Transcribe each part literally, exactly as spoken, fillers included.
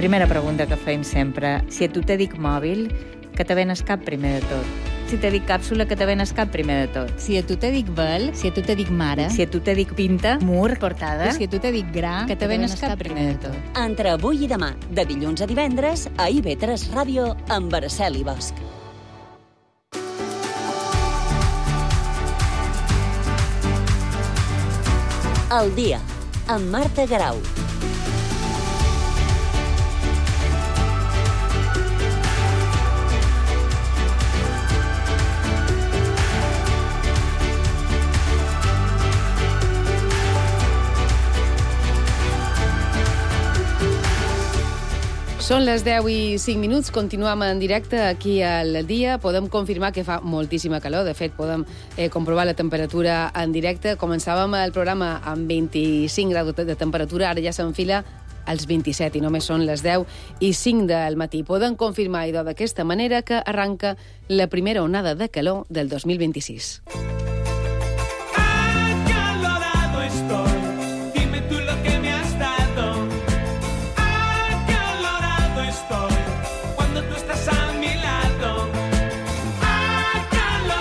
Primera pregunta que fem sempre. Si a tu te dic mòbil, que te venes cap primer de tot? Si te dic càpsula, que te venes cap primer de tot? Si a tu te dic vel, si a tu te dic mare, Si a tu te dic pinta, mur, portada, si a tu te dic gra, que te venes cap primer de tot? Entre avui i demà, de dilluns a divendres, a I V tres Ràdio, amb Araceli Bosch. El dia, amb Marta Garau. Són les deu i cinc minuts, continuem en directe aquí al dia. Podem confirmar que fa moltíssima calor, de fet podem eh, comprovar la temperatura en directe. Començàvem el programa amb vint-i-cinc graus de temperatura, ara ja s'enfila als vint-i-set i només són les deu i cinc del matí. Podem confirmar, idò, d'aquesta manera que arranca la primera onada de calor del dos mil vint-i-sis.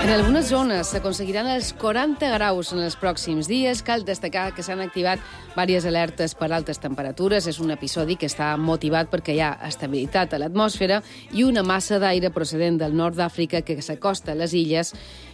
En algunes zones s'aconseguiran els quaranta graus en els pròxims dies. Cal destacar que s'han activat diverses alertes per altes temperatures. És un episodi que està motivat perquè hi ha estabilitat a l'atmosfera i una massa d'aire procedent del nord d'Àfrica que s'acosta a les illes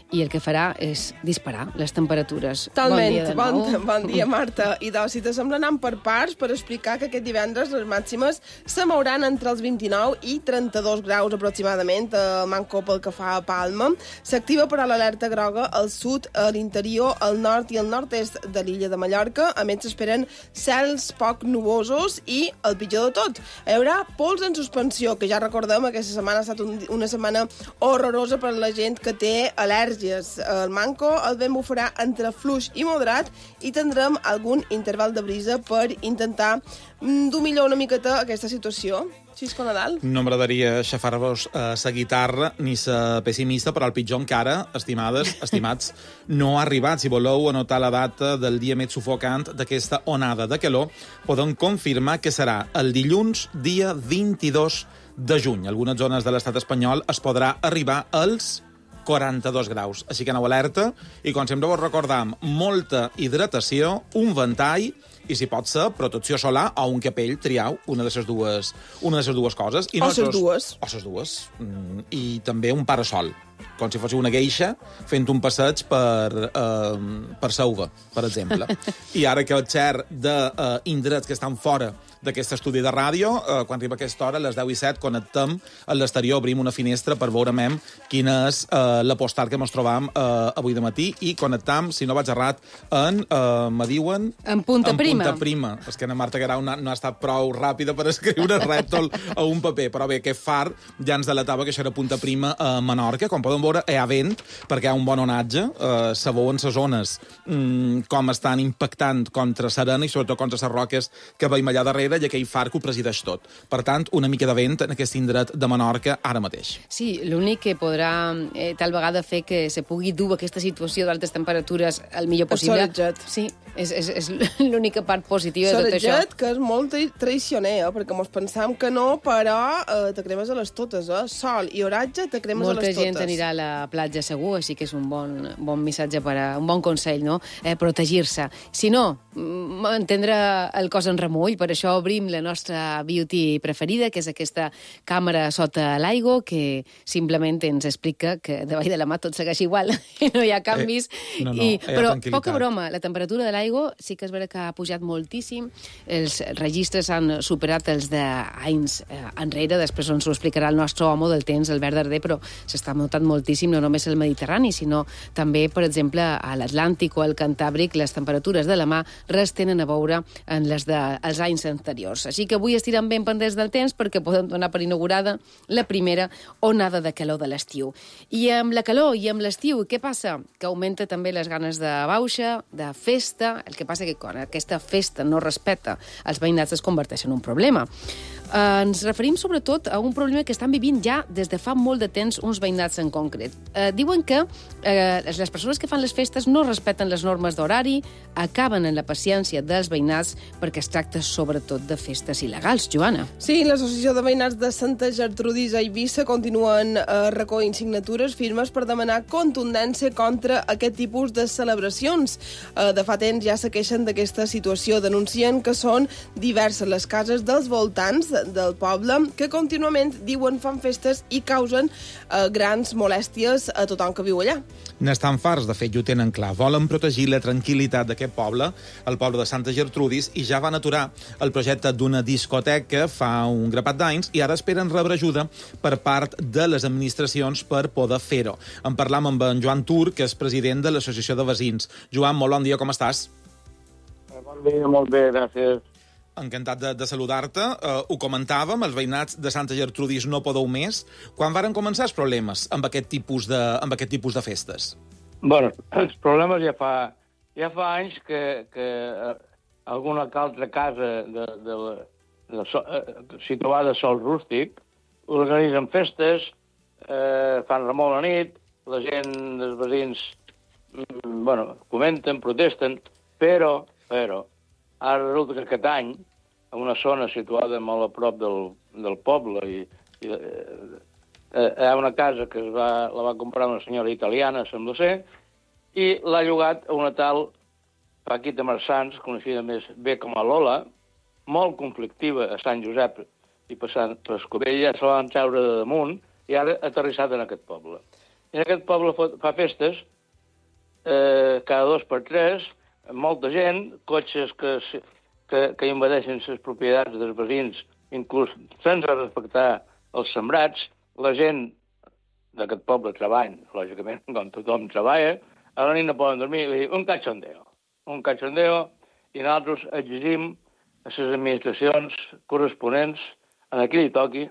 i el que farà és disparar les temperatures. Totalment. Bon dia de nou. Bon, bon dia, Marta. I doncs, si te sembla anar per parts per explicar que aquest divendres les màximes se mouran entre els vint-i-nou i trenta-dos graus aproximadament, a Manco pel que fa a Palma. S'activa però l'alerta groga al sud, a l'interior, al nord i al nord-est de l'illa de Mallorca. A més, s'esperen cels poc nuvosos i, el pitjor de tot, hi haurà pols en suspensió, que ja recordem, aquesta setmana ha estat un, una setmana horrorosa per a la gent que té al·lèrgia. El Manco, el vent bufarà entre fluix i moderat i tindrem algun interval de brisa per intentar dominar una miqueta aquesta situació. Xisco Nadal? No m'agradaria xafar-vos eh, sa guitarra ni sa pessimista, però el pitjor encara, estimades, estimats, no ha arribat. Si voleu anotar la data del dia més sufocant d'aquesta onada de calor, podem confirmar que serà el dilluns, dia vint-i-dos de juny. En algunes zones de l'estat espanyol es podrà arribar als quaranta-dos graus. Així que aneu alerta i, com sempre, vos recordam molta hidratació, un ventall i, si pot ser, protecció solar o un capell, triau una de les dues, una de les dues coses. I o les dues. O les dues. I també un parasol, com si fos una geisha fent un passeig per, eh, per Sauva, per exemple. I ara que el xer d'indrets que estan fora d'aquest estudi de ràdio, eh, quan arriba aquesta hora, a les deu i set, connectem a l'exterior, obrim una finestra per veure mem quina és eh, la postal que ens trobam eh, avui de matí i connectam, si no vaig errat, en, eh, me diuen... En punta en prima. punta prima. És que la Marta Garau no, no ha estat prou ràpida per escriure rètol a un paper, però bé, aquest far ja ens delatava que això era punta prima a Menorca. Com podem veure, hi ha vent, perquè hi ha un bon onatge, eh, se veuen les zones mm, com estan impactant contra Serena i sobretot contra les roques que veiem allà darrere i aquell far que ho presideix tot. Per tant, una mica de vent en aquest indret de Menorca ara mateix. Sí, l'únic que podrà eh, tal vegada fer que se pugui dur aquesta situació d'altes temperatures el millor possible. El solejat. Sí, és, és, és l'única part positiva de tot això. Solejat, que és molt traicioner, eh? Perquè mos pensam que no, però eh, te cremes a les totes, eh? Sol i oratge, te cremes Molta a les totes. gent anirà a la platja segur, així que és un bon, bon missatge, per a, un bon consell, no? Eh, protegir-se. Si no, mantindre el cos en remull, per això obrim la nostra beauty preferida, que és aquesta càmera sota l'aigua, que simplement ens explica que davall de la mà tot segueix igual, i no hi ha canvis. Eh, no, no, I, però poca broma, broma, la temperatura de l'aigua sí que és vera que ha pujat moltíssim, els registres han superat els d'anys eh, enrere, després ens ho explicarà el nostre home del temps, Albert Darder, però s'està notant moltíssim, no només al Mediterrani, sinó també, per exemple, a l'Atlàntic o al Cantàbric, les temperatures de la mà res tenen a veure en les dels anys anteriors. Així que avui estirem ben pendents del temps perquè podem donar per inaugurada la primera onada de calor de l'estiu. I amb la calor i amb l'estiu, què passa? Que augmenta també les ganes de bauxa, de festa. El que passa que quan aquesta festa no respecta els veïnats es converteix en un problema. Eh, ens referim sobretot a un problema que estan vivint ja des de fa molt de temps uns veïnats en concret. Eh, diuen que eh, les persones que fan les festes no respecten les normes d'horari, acaben en la paciència dels veïnats perquè es tracta sobretot de festes il·legals. Joana. Sí, l'Associació de Veïnats de Santa Gertrudis a Eivissa continuen eh, recollint signatures firmes per demanar contundència contra aquest tipus de celebracions. Eh, de fa temps ja se queixen d'aquesta situació, denuncien que són diverses les cases dels voltants del poble que contínuament diuen fan festes i causen eh, grans molèsties a tothom que viu allà. N'estan farts, de fet, i ho tenen clar. Volen protegir la tranquil·litat d'aquest poble, el poble de Santa Gertrudis, i ja van aturar el projecte d'una discoteca fa un grapat d'anys i ara esperen rebre ajuda per part de les administracions per poder fer-ho. En parlam amb en Joan Tur, que és president de l'Associació de Veïns. Joan, molt bon dia, com estàs? Bon dia, molt bé, gràcies. Encantat de, de saludar-te. Uh, ho comentàvem, els veïnats de Santa Gertrudis no podeu més. Quan varen començar els problemes amb aquest tipus de, amb aquest tipus de festes? Bueno, els problemes ja fa, ja fa anys que, que alguna altra casa de, de, de, de, situada a sol rústic organitzen festes, eh, fan remol a nit, la gent dels veïns bueno, comenten, protesten, però, però ara resulta que aquest any, en una zona situada molt a prop del, del poble, i, i eh, hi ha una casa que es va, la va comprar una senyora italiana, sembla ser, i l'ha llogat a una tal Paquita Marsans, coneixida més bé com a Lola, molt conflictiva a Sant Josep i passant per Escobella, se la van treure de damunt i ara ha aterrissat en aquest poble. I en aquest poble fa festes eh, cada dos per tres, molta gent, cotxes que, que, que invadeixen les propietats dels veïns, inclús sense respectar els sembrats. La gent d'aquest poble treballa, lògicament, com tothom treballa, a la nit no poden dormir, i dir, un cachondeo, un cachondeo, i nosaltres exigim a les administracions corresponents, en aquí li toqui,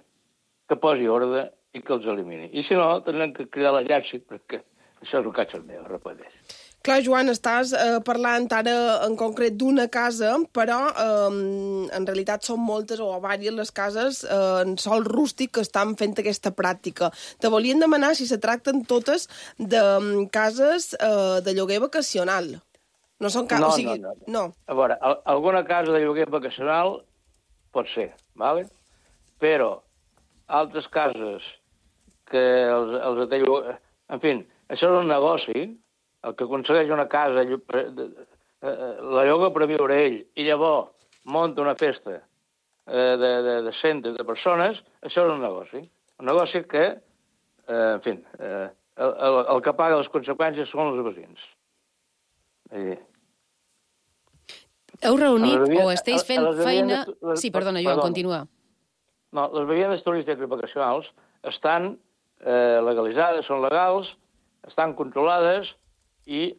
que posi ordre i que els elimini. I si no, tindrem que cridar l'exèrcit, perquè això és un cachondeo, repeteix. Clar, Joan, estàs eh, parlant ara en concret d'una casa, però eh, en realitat són moltes o diverses les cases eh, en sol rústic que estan fent aquesta pràctica. Te volien demanar si se tracten totes de um, cases eh, de lloguer vacacional. No són cases... No, o sigui, no, no, no. A veure, alguna casa de lloguer vacacional pot ser, ¿vale? Però altres cases que els, els de lloguer... En fi, això és un negoci. El que aconsegueix una casa, la lloga per viure ell, i llavors munta una festa de, de, de centres de persones, això és un negoci. Un negoci que, eh, en fi, eh, el, el, el que paga les conseqüències són els veïns. Eh. Heu reunit veïnes, o esteu fent les feina... veïnes, les, sí, perdona, Joan, perdona. continua. No, les veïnes turístiques i vacacionals estan eh, legalitzades, són legals, estan controlades, i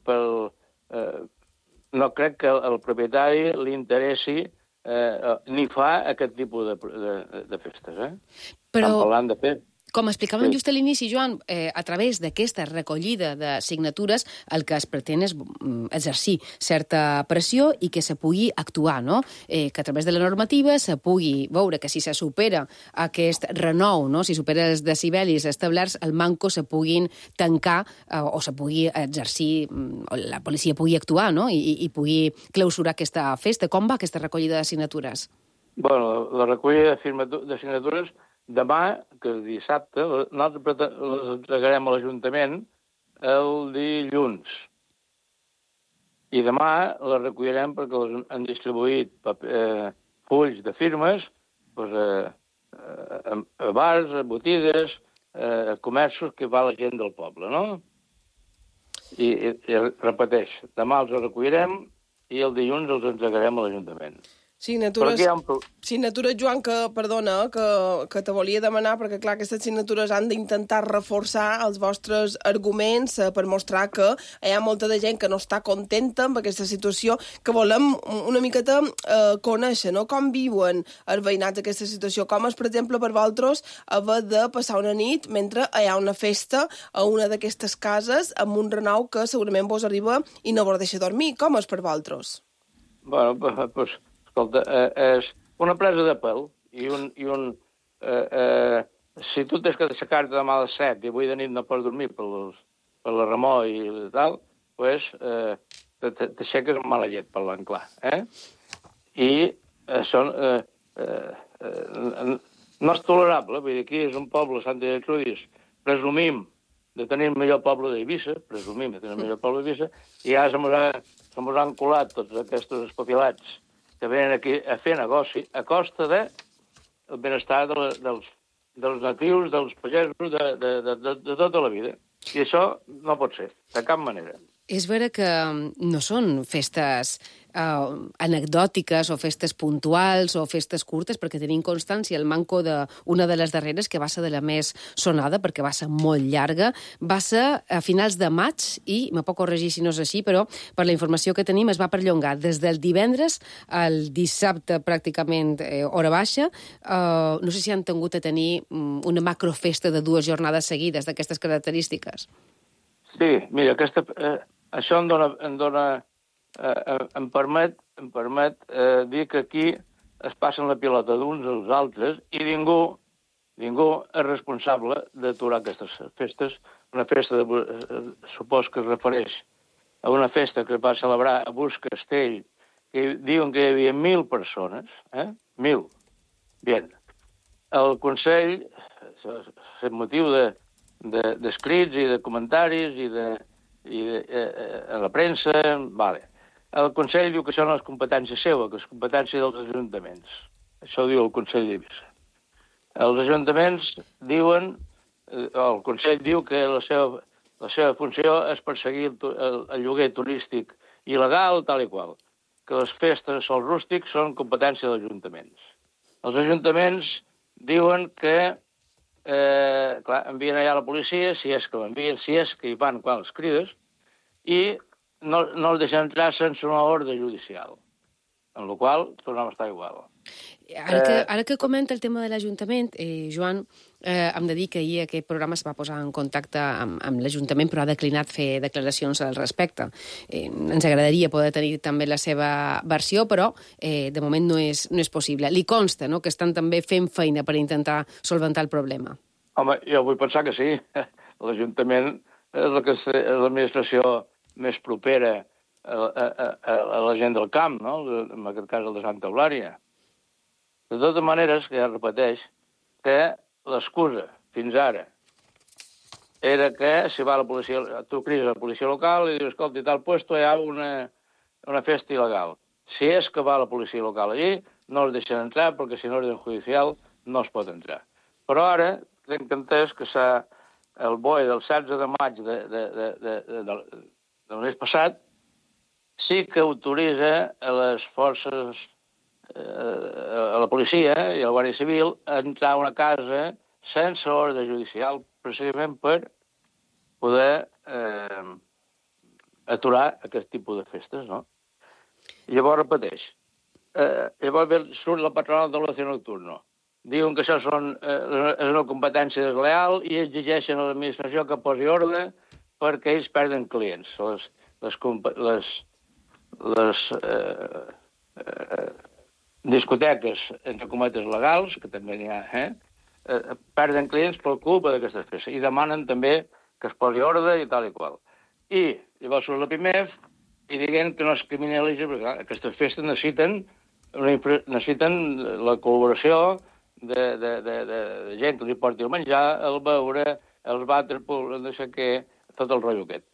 pel, eh, no crec que el propietari li interessi eh, ni fa aquest tipus de, de, de festes. Eh? Però... Estan parlant de fer. Com explicàvem Sí. just a l'inici, Joan, eh, a través d'aquesta recollida de signatures el que es pretén és mm, exercir certa pressió i que se pugui actuar, no? Eh, que a través de la normativa se pugui veure que si se supera aquest renou, no? Si supera els decibelis establerts, el manco se puguin tancar eh, o se pugui exercir, mm, o la policia pugui actuar, no? I, i, i pugui clausurar aquesta festa. Com va aquesta recollida de signatures? Bueno, la recollida de, firmatu- de signatures demà, que és dissabte, nosaltres les entregarem a l'Ajuntament el dilluns. I demà les recollirem perquè les han distribuït paper, eh, fulls de firmes doncs, eh, a, a bars, a botigues, eh, a comerços que va la gent del poble, no? I, i, i repeteix, demà els recollirem i el dilluns els entregarem a l'Ajuntament. Signatures, Ha un... signatures, Joan, que, perdona, que, que te volia demanar, perquè, clar, aquestes signatures han d'intentar reforçar els vostres arguments eh, per mostrar que hi ha molta de gent que no està contenta amb aquesta situació, que volem una miqueta eh, conèixer, no?, com viuen els veïnats aquesta situació, com és, per exemple, per vosaltres haver de passar una nit mentre hi ha una festa a una d'aquestes cases amb un renou que segurament vos arriba i no vos deixa dormir. Com és per vosaltres? Bueno, doncs... Escolta, eh, és, una presa de pèl i un... I un eh, eh, si tu tens que aixecar-te demà a les set i avui de nit no pots dormir per, los, per la remor i tal, doncs eh, t'aixeques amb mala llet, parlant clar. Eh? I eh, són... Eh, eh, eh, no és tolerable, vull dir, aquí és un poble, Sant Gertrudis, presumim de tenir el millor poble d'Eivissa, presumim de tenir el millor poble d'Eivissa, i ja se mos, ha, se mos han colat tots aquests espafilats que venen aquí a fer negoci a costa de el benestar de la, dels, dels natius, dels pagesos, de, de, de, de, de tota la vida. I això no pot ser, de cap manera. És vera que no són festes eh, anecdòtiques o festes puntuals o festes curtes, perquè tenim constància el manco d'una de les darreres, que va ser de la més sonada, perquè va ser molt llarga, va ser a finals de maig i, me puc corregir si no és així, però per la informació que tenim es va perllongar des del divendres al dissabte pràcticament eh, hora baixa. Eh, no sé si han tingut a tenir una macrofesta de dues jornades seguides d'aquestes característiques. Sí, mira, aquesta, eh, això em dona, em, dona eh, em permet, em permet eh, dir que aquí es passen la pilota d'uns als altres i ningú, ningú és responsable d'aturar aquestes festes. Una festa, de, eh, supos que es refereix a una festa que es va celebrar a Bus Castell, que diuen que hi havia mil persones, eh? Mil. Bien. El Consell, el motiu de d'escrits de, i de comentaris i de, i de eh, a la premsa, vale. El Consell diu que això no és competència seva, que és competència dels ajuntaments. Això ho diu el Consell d'Eivissa. Els ajuntaments diuen, eh, el Consell diu que la seva, la seva funció és perseguir el, el, el lloguer turístic il·legal, tal i qual, que les festes de sol rústic són competència dels ajuntaments. Els ajuntaments diuen que Eh, clar, envien allà la policia, si és que l'envien, si és que hi van quan els crides, i no, no els deixen entrar sense una ordre judicial, en la qual tornem a estar igual. Ara que, ara que comenta el tema de l'Ajuntament, eh, Joan, eh, hem de dir que ahir aquest programa es va posar en contacte amb, amb l'Ajuntament, però ha declinat fer declaracions al respecte. Eh, ens agradaria poder tenir també la seva versió, però eh, de moment no és, no és possible. Li consta, no?, que estan també fent feina per intentar solventar el problema. Home, jo vull pensar que sí. L'Ajuntament és la que és l'administració més propera a, a, a, a la gent del camp, no?, en aquest cas el de Santa Eulària. De totes maneres, que ja repeteix, que l'excusa fins ara era que si va la policia, tu crides a la policia local i dius, escolta, i tal puesto hi ha una, una festa il·legal. Si és que va la policia local allí, no els deixen entrar perquè si no és judicial no es pot entrar. Però ara tinc entès que s'ha, el B O E del setze de maig de, de, de, de, de, de, del mes passat sí que autoritza a les forces, eh, a la policia i a la Guàrdia Civil a entrar a una casa sense ordre judicial, precisament per poder eh, aturar aquest tipus de festes, no? I llavors repeteix. Eh, llavors surt la patronal de l'oci nocturno. Diuen que això són, eh, és una competència desleal i exigeixen a l'administració que posi ordre perquè ells perden clients. Les, les, les, les eh, eh, discoteques, entre cometes, legals, que també n'hi ha, eh, eh, perden clients per culpa d'aquestes festes i demanen també que es posi ordre i tal i qual. I llavors surt la P I M E F i diguen que no es criminalitza, perquè clar, aquestes festes necessiten, necessiten la col·laboració de, de, de, de, de gent que li porti el menjar, el beure, els vàters, no sé què, tot el rotllo aquest.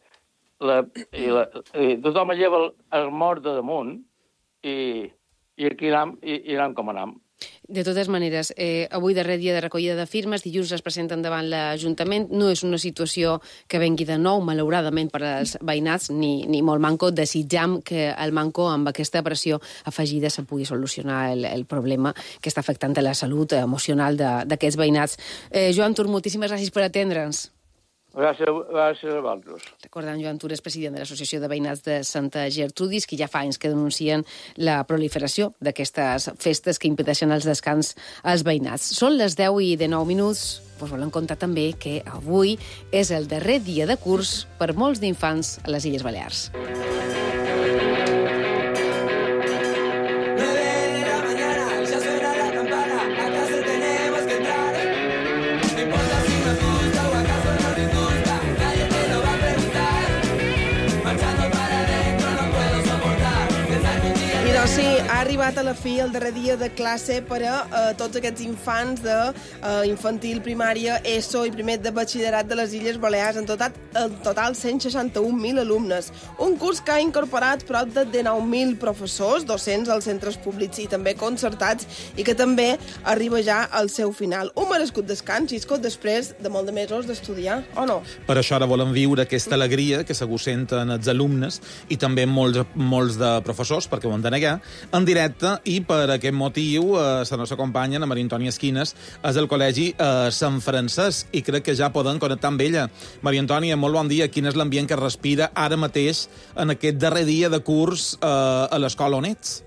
La, i, la, i tothom lleva el, el mort de damunt i, i aquí anem, i, i anem com anem. De totes maneres, eh, avui darrer dia de recollida de firmes, dilluns es presenten davant l'Ajuntament. No és una situació que vengui de nou, malauradament, per als veïnats, ni, ni molt manco. Desitjam que el manco, amb aquesta pressió afegida, se pugui solucionar el, el problema que està afectant a la salut emocional d'aquests veïnats. Eh, Joan Tur, moltíssimes gràcies per atendre'ns. Gràcies, gràcies a vosaltres. Recordant, Joan Tur és president de l'Associació de Veïnats de Santa Gertrudis, que ja fa anys que denuncien la proliferació d'aquestes festes que impedeixen els descans als veïnats. Són les deu i dinou minuts. Us volem contar també que avui és el darrer dia de curs per molts d'infants a les Illes Balears. nueve de la mañana, ya suena Sí, ha arribat a la fi el darrer dia de classe per a uh, tots aquests infants de uh, infantil, primària, ESO i primer de batxillerat de les Illes Balears. En total, en total cent seixanta-un mil alumnes. Un curs que ha incorporat prop de dinou mil professors, docents als centres públics i també concertats, i que també arriba ja al seu final. Un merescut descans, Xisco, després de molt de mesos d'estudiar, o no? Per això ara volen viure aquesta alegria que segur senten els alumnes i també molts, molts de professors, perquè ho han de negar, en directe, i per aquest motiu eh, la nostra companya, la Maria Antònia Esquines, és del Col·legi eh, Sant Francesc, i crec que ja poden connectar amb ella. Maria Antònia, molt bon dia. Quin és l'ambient que respira ara mateix en aquest darrer dia de curs eh, a l'escola on ets?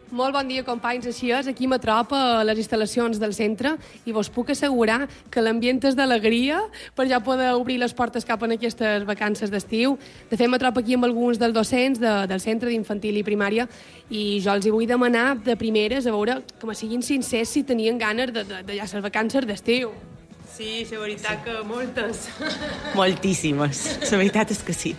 Molt bon dia, companys. Així és, aquí m'atropa a les instal·lacions del centre i vos puc assegurar que l'ambient és d'alegria per ja poder obrir les portes cap en aquestes vacances d'estiu. De fet, m'atropa aquí amb alguns dels docents de, del centre d'infantil i primària i jo els hi vull demanar de primeres a veure que me siguin sincers si tenien ganes de, de, de ja les vacances d'estiu. Sí, la veritat que moltes. Moltíssimes. La veritat és que sí.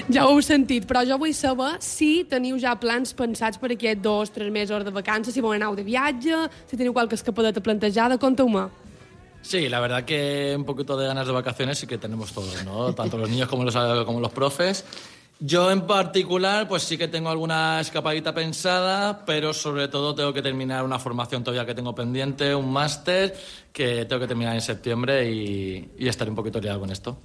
Ja ho heu sentit, però jo vull saber si teniu ja plans pensats per aquests dos, tres mesos de vacances, si vau anar de viatge, si teniu qualque escapadeta plantejada, conteu-me. Sí, la verdad que un poquito de ganas de vacaciones sí que tenemos todos, ¿no? Tanto los niños como los, como los profes. Yo en particular, pues sí que tengo alguna escapadita pensada, pero sobre todo tengo que terminar una formación todavía que tengo pendiente, un máster que tengo que terminar en septiembre y, y estaré un poquito liado con esto.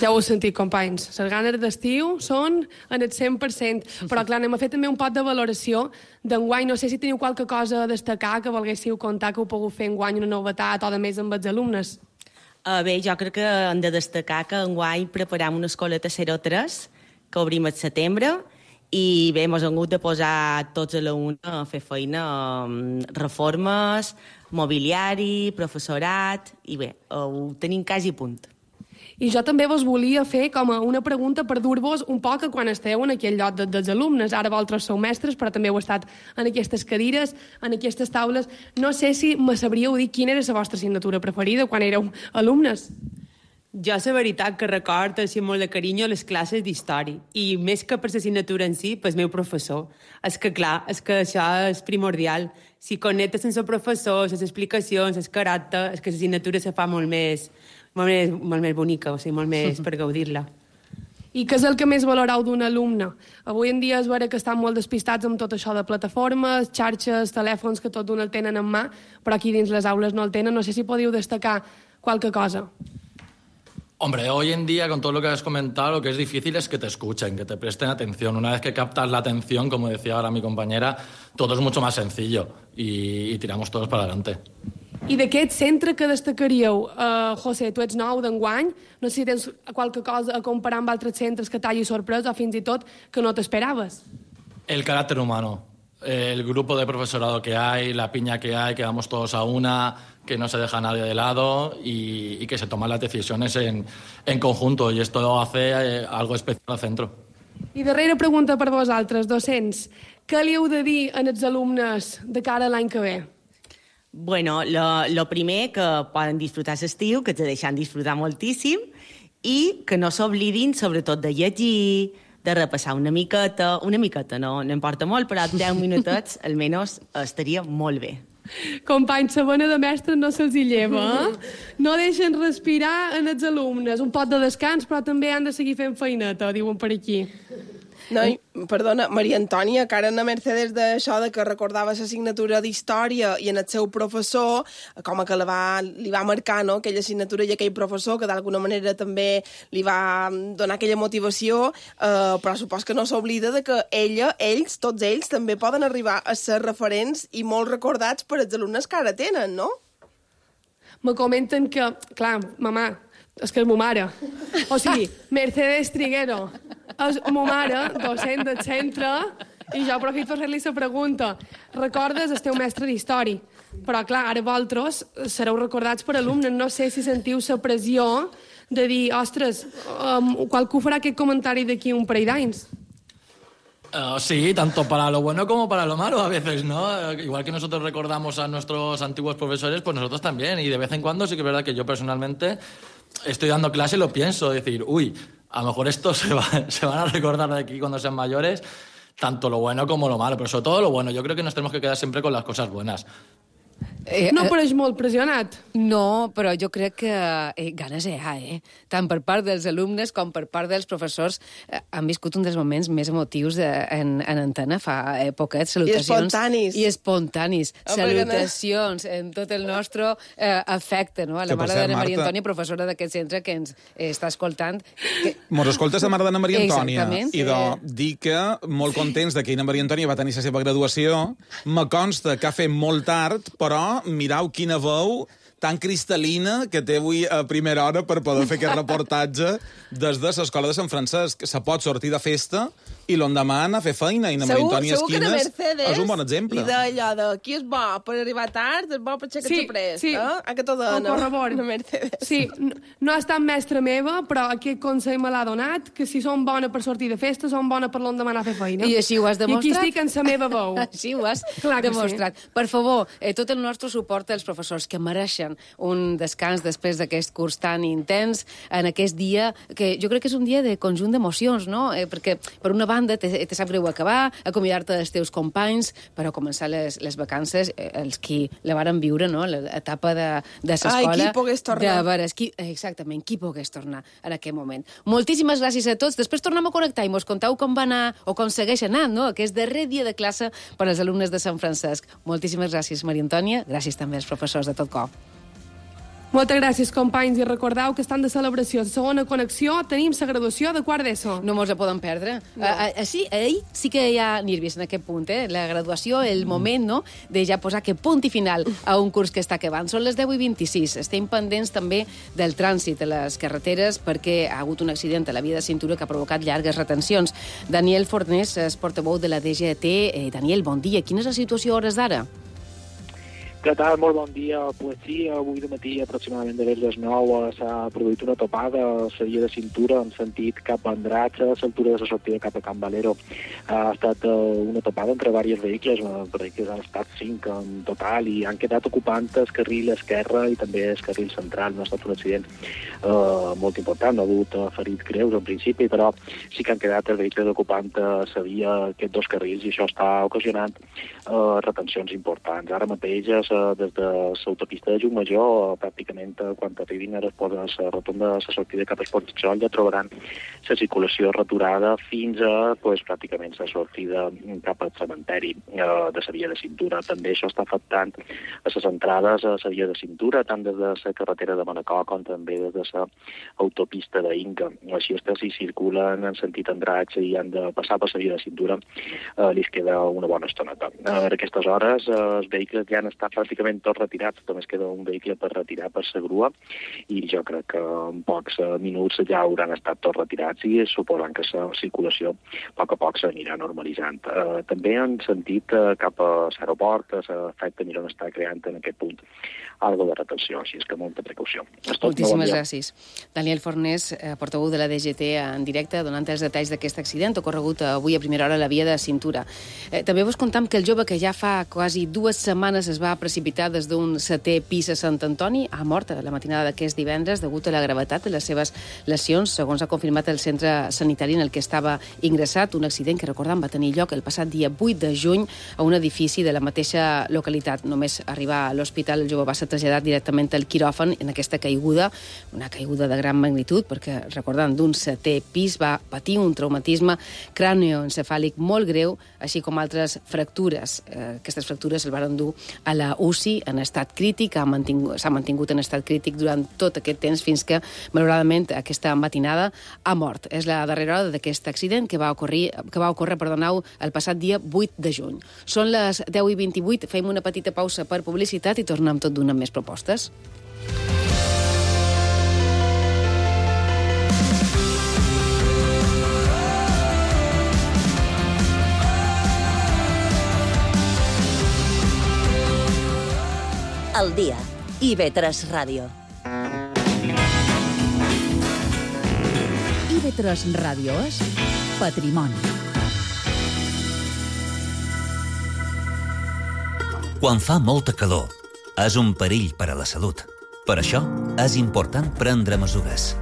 Ja ho heu sentit, companys. Les ganes d'estiu són en el cent per cent. Però, clar, anem a fer també un pot de valoració d'enguany. No sé si teniu qualque cosa a destacar que volguéssiu contar que heu pogut fer enguany una novetat o de més amb els alumnes. Uh, bé, jo crec que hem de destacar que enguany preparam una escoleta zero tres que obrim al setembre i bé, ens hem hagut de posar tots a la una a fer feina, reformes, mobiliari, professorat, i bé, ho tenim quasi a punt. I jo també vos volia fer com a una pregunta per dur-vos un poc a quan esteu en aquell lloc de, dels alumnes. Ara vosaltres sou mestres, però també heu estat en aquestes cadires, en aquestes taules. No sé si me sabríeu dir quina era la vostra assignatura preferida quan éreu alumnes. Jo, la veritat, que record així molt de carinyo les classes d'història. I més que per l'assignatura en si, pel meu professor. És que, clar, és que això és primordial. Si connectes amb el professor, les explicacions, el caràcter, és que l'assignatura se fa molt més, molt més, molt més bonica, o sigui, molt més per gaudir-la. I què és el que més valoreu d'un alumne? Avui en dia és vera que estan molt despistats amb tot això de plataformes, xarxes, telèfons, que tot d'un el tenen en mà, però aquí dins les aules no el tenen. No sé si podíeu destacar qualque cosa. Hombre, hoy en día, con todo lo que has comentado, lo que es difícil es que te escuchen, que te presten atención. Una vez que captas la atención, como decía ahora mi compañera, todo es mucho más sencillo y, y tiramos todos para adelante. I d'aquest centre que destacaríeu? Uh, José, tu ets nou d'enguany, no sé si tens qualque cosa a comparar amb altres centres que t'hagi sorprès o fins i tot que no t'esperaves. El carácter humano, el grupo de profesorado que hay, la piña que hay, que vamos todos a una, que no se deja nadie de lado y, y que se toman las decisiones en, en conjunto, y esto hace eh, algo especial al centro. I darrera pregunta per vosaltres, docents. Què li heu de dir als alumnes de cara a l'any que ve? Bueno, lo, lo primer, que poden disfrutar l'estiu, que te deixen disfrutar moltíssim, i que no s'oblidin, sobretot, de llegir, de repassar una miqueta, una miqueta, no, no importa molt, però deu minutets, almenys, estaria molt bé. Companys, la bona de mestres no se'ls hi lleva, eh? No deixen respirar en els alumnes. Un pot de descans, però també han de seguir fent feineta, diuen per aquí. No, i, perdona, Maria Antònia, que ara en Mercedes d'això de que recordava l'assignatura d'història i en el seu professor, com que la va, li va marcar, no?, aquella assignatura i aquell professor que d'alguna manera també li va donar aquella motivació, eh, però supos que no s'oblida de que ella, ells, tots ells, també poden arribar a ser referents i molt recordats per als alumnes que ara tenen, no? Me comenten que, clar, mamà, és que és ma mare. O sigui, Mercedes Triguero és ma mare, docent del centre, i jo aprofito per fer-li la pregunta. Recordes el teu mestre d'història, però clar, ara vosaltres sereu recordats per alumnes. No sé si sentiu la pressió de dir, ostres, um, qualcú farà aquest comentari d'aquí un parell d'anys. Uh, sí, tanto para lo bueno como para lo malo a veces, ¿no? Uh, igual que nosotros recordamos a nuestros antiguos profesores, pues nosotros también. Y de vez en cuando sí que es verdad que yo personalmente estoy dando clase y lo pienso, decir, uy, a lo mejor estos se, va, se van a recordar de aquí cuando sean mayores. tanto lo bueno como lo malo, pero sobre todo lo bueno. Yo creo que nos tenemos que quedar siempre con las cosas buenas. Eh, no pareix molt pressionat? No, però jo crec que eh, ganes hi ha, eh? Tant per part dels alumnes com per part dels professors eh, han viscut un dels moments més emotius de, en, en antena fa eh, poquet. Salutacions. I espontanis. I espontanis. Oh, Salutacions en tot el nostre eh, afecte, no? A la Que, per mare cert, d'Anna Maria Marta- Antònia, professora d'aquest centre que ens eh, està escoltant. Que... Mos escoltes la mare d'Anna Maria Antònia. Exactament. I de dir que molt contents de que Anna Maria Antònia va tenir la seva graduació. Me consta que ha fet molt tard, però mirau quina veu tan cristal·lina que té avui a primera hora per poder fer aquest reportatge des de l'Escola de Sant Francesc. Se pot sortir de festa i l'endemà anar a fer feina. I Anna Maria Antònia segur que la Esquines Mercedes és un bon exemple. li deia allò de qui és bo per arribar tard, és bo per aixecar-se Sí, prest. sí. Eh? A que t'ho dona. Ho corroboro. La Mercedes. Sí, no, no ha estat mestra meva, però aquest consell me l'ha donat, que si som bona per sortir de festa, som bona per l'endemà anar a fer feina. I així ho has demostrat. I aquí estic en la meva veu. Així ho has Clar que demostrat. sí. Per favor, eh, tot el nostre suport als professors que mereixen un descans després d'aquest curs tan intens, en aquest dia, que jo crec que és un dia de conjunt d'emocions, no? Eh, perquè, per una banda, te, te sap greu acabar, acomiadar-te dels teus companys, però començar les, les vacances, eh, els qui la varen viure, no?, l'etapa de, de l'escola. Ai, qui pogués tornar. De veres, qui, exactament, qui pogués tornar en aquest moment. Moltíssimes gràcies a tots. Després tornem a connectar i mos contau com va anar, o com segueix anant, no?, aquest darrer dia de classe per als alumnes de Sant Francesc. Moltíssimes gràcies, Maria Antònia. Gràcies també als professors de tot cor. Moltes gràcies, companys, i recordeu que estan de celebració. La segona connexió tenim la graduació de quart d'ESO. No mos la poden perdre. No. A, a, sí, ahir sí que hi ha nervis en aquest punt, eh? La graduació, el moment, no?, de ja posar que punt i final a un curs que està acabant. Són les deu i vint-i-sis. Estem pendents també del trànsit a les carreteres perquè ha hagut un accident a la via de cintura que ha provocat llargues retencions. Daniel Fornés és portaveu de la D G T. Eh, Daniel, bon dia. Quina és la situació a hores d'ara? Què tal? Molt bon dia. Pues sí, avui de matí, aproximadament de les nou, s'ha produït una topada a la via de cintura en sentit cap a Andratx, a l'altura de la sortida cap a Can Valero. Ha estat una topada entre diversos vehicles, vehicles han estat cinc en total, i han quedat ocupant el carril esquerre i també el carril central. No ha estat un accident eh, molt important, no ha hagut ferits greus en principi, però sí que han quedat els vehicles ocupant a la via aquests dos carrils, i això està ocasionant eh, retencions importants. Ara mateix, des de l'autopista de Llucmajor, pràcticament quan arribin a la rotonda de la sortida cap a Esportxol, ja trobaran la circulació returada fins a pues, pràcticament la sortida cap al cementeri eh, de la via de cintura. També això està afectant a les entrades a la via de cintura, tant des de la carretera de Manacor com també des de l'autopista d'Inca. Així és que si circulen en sentit Andratx i han de passar per la via de cintura, eh, li queda una bona estoneta. A aquestes hores, eh, els vehicles ja han estat pràcticament tots retirats, només queda un vehicle per retirar per la grua, i jo crec que en pocs minuts ja hauran estat tots retirats i suposen que la circulació a poc a poc s'anirà normalitzant. Eh, també en sentit eh, cap a l'aeroport, l'efecte Miró està creant en aquest punt algo de retenció, així és que molta precaució. Moltíssimes gràcies. Daniel Fornés, eh, portaveu de la D G T en directe, donant els detalls d'aquest accident ocorregut avui a primera hora a la via de cintura. Eh, també vos contam que el jove que ja fa quasi dues setmanes es va precipitar des d'un setè pis a Sant Antoni ha mort a la matinada d'aquest divendres degut a la gravetat de les seves lesions, segons ha confirmat el centre sanitari en el que estava ingressat, un accident que, recordem, va tenir lloc el passat dia vuit de juny a un edifici de la mateixa localitat. Només arribar a l'hospital, el jove va ser traslladat directament al quiròfan en aquesta caiguda, una caiguda de gran magnitud, perquè, recordant, d'un setè pis va patir un traumatisme cranioencefàlic molt greu, així com altres fractures. Eh, aquestes fractures el van dur a la U C I en estat crític, s'ha mantingut, mantingut en estat crític durant tot aquest temps fins que, malauradament, aquesta matinada ha mort. És la darrera hora d'aquest accident que va ocórrer, que va ocórrer perdoneu, el passat dia vuit de juny. Són les deu i vint-i-vuit, fem una petita pausa per publicitat i tornem tot d'una amb més propostes. Al dia. I ve tres Ràdio. I ve tres Ràdio és patrimoni. Quan fa molta calor, és un perill per a la salut. Per això, és important prendre mesures.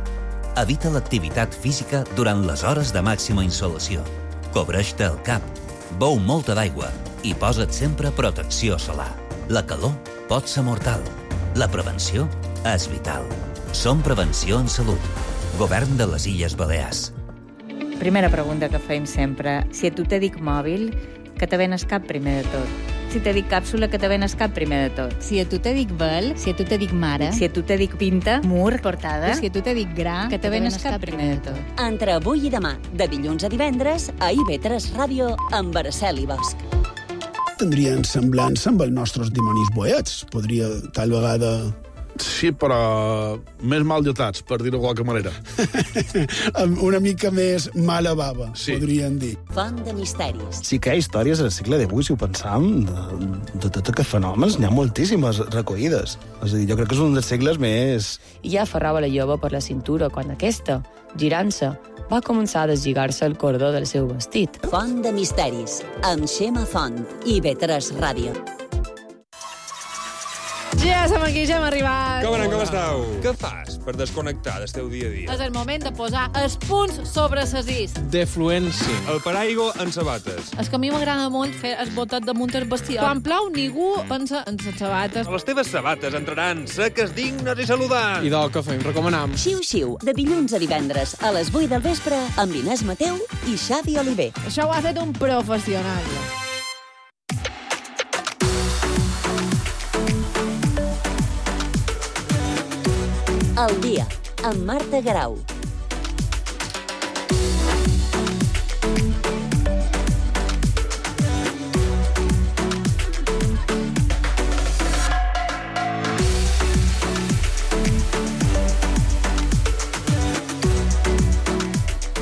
Evita l'activitat física durant les hores de màxima insolació. Cobreix-te el cap, Beu molta d'aigua i posa't sempre protecció solar. La calor pot ser mortal. La prevenció és vital. Som Prevenció en Salut. Govern de les Illes Balears. Primera pregunta que fem sempre. Si a tu te dic mòbil, que te venes cap primer de tot? Si te dic càpsula, que te venes cap primer de tot? Si a tu te dic vel, si a tu te dic mare, Si a tu te dic pinta, mur, portada, si a tu te dic gra, que te venes cap primer de tot? Entre avui i demà, de dilluns a divendres, a I V tres Ràdio, amb Araceli Bosch. Tindrien semblança amb els nostres dimonis boets. Podria, tal vegada... Sí, però més mal dotats, per dir-ho de qualque manera. Una mica més mala baba, sí. Podrien dir. Font de misteris. Sí que hi ha històries al segle divuit, si ho pensam, de, de tots aquests fenòmens, n'hi ha moltíssimes recollides. És a dir, jo crec que és un dels segles més... I ja aferrava la jove per la cintura quan aquesta, girant-se, va començar a deslligar-se el cordó del seu vestit. Font de misteris, amb Xema Font, I V tres Ràdio. Ja som aquí, ja hem arribat. Com anem, com esteu? Què fas per desconnectar del teu dia a dia? És el moment de posar els punts sobre ses is. De fluència. El paraigua en sabates. És que a mi m'agrada molt fer el botet damunt el vestidor. Quan plou, ningú pensa en les sabates. Les teves sabates entraran seques, dignes i saludants. I del que fem, recomanam. Xiu-xiu, de dilluns a divendres, a les vuit del vespre, amb Inés Mateu i Xavi Oliver. Això ho ha fet un professional. El dia, amb Marta Garau.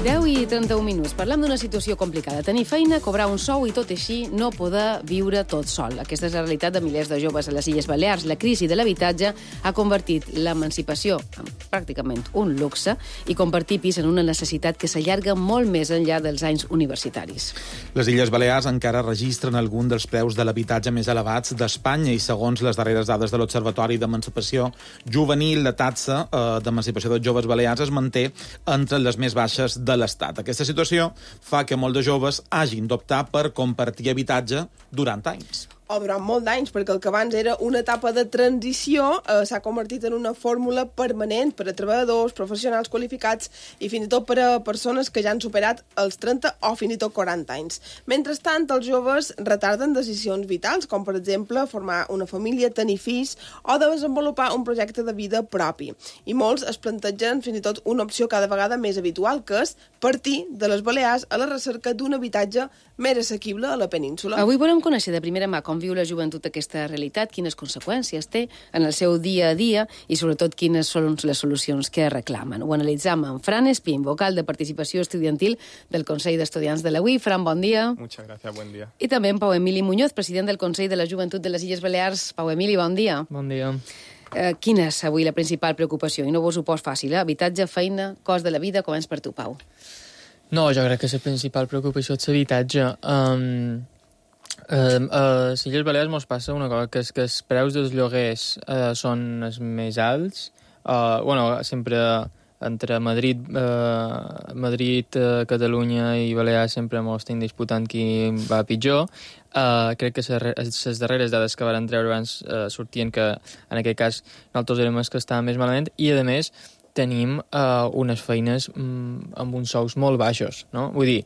deu i trenta-un minuts. Parlem d'una situació complicada. Tenir feina, cobrar un sou i tot així no poder viure tot sol. Aquesta és la realitat de milers de joves a les Illes Balears. La crisi de l'habitatge ha convertit l'emancipació en pràcticament un luxe i convertir pis en una necessitat que s'allarga molt més enllà dels anys universitaris. Les Illes Balears encara registren algun dels preus de l'habitatge més elevats d'Espanya i segons les darreres dades de l'Observatori d'Emancipació Juvenil, la taxa eh, d'emancipació dels joves balears es manté entre les més baixes de l'Estat. Aquesta situació fa que molts de joves hagin d'optar per compartir habitatge durant anys. O durant molt d'anys, perquè el que abans era una etapa de transició eh, s'ha convertit en una fórmula permanent per a treballadors, professionals qualificats i fins i tot per a persones que ja han superat els trenta o fins i tot quaranta anys. Mentrestant, els joves retarden decisions vitals, com per exemple formar una família, tenir fills o desenvolupar un projecte de vida propi. I molts es plantegen fins i tot una opció cada vegada més habitual, que és partir de les Balears a la recerca d'un habitatge més assequible a la península. Avui volem conèixer de primera mà com viu la joventut aquesta realitat, quines conseqüències té en el seu dia a dia i sobretot quines són les solucions que reclamen. Ho analitzam amb Fran Espín, vocal de participació estudiantil del Consell d'Estudiants de la U I. Fran, bon dia. Muchas gracias, buen día. I també en Pau Emili Muñoz, president del Consell de la Joventut de les Illes Balears. Pau Emili, bon dia. Bon dia. Eh, quina és avui la principal preocupació? I no vos ho pos fàcil, eh? Habitatge, feina, cost de la vida, començ per tu, Pau. No, jo crec que la principal preocupació és l'habitatge. Um, uh, a les Illes Balears mos passa una cosa, que és que els preus dels lloguers uh, són els més alts. Uh, bueno, sempre entre Madrid, uh, Madrid uh, Catalunya i Balears sempre mos estem disputant qui va pitjor. Uh, crec que les darreres dades que van treure abans uh, sortien que en aquest cas nosaltres érem els que estàvem més malament i, a més, tenim uh, unes feines um, amb uns sous molt baixos, no? Vull dir,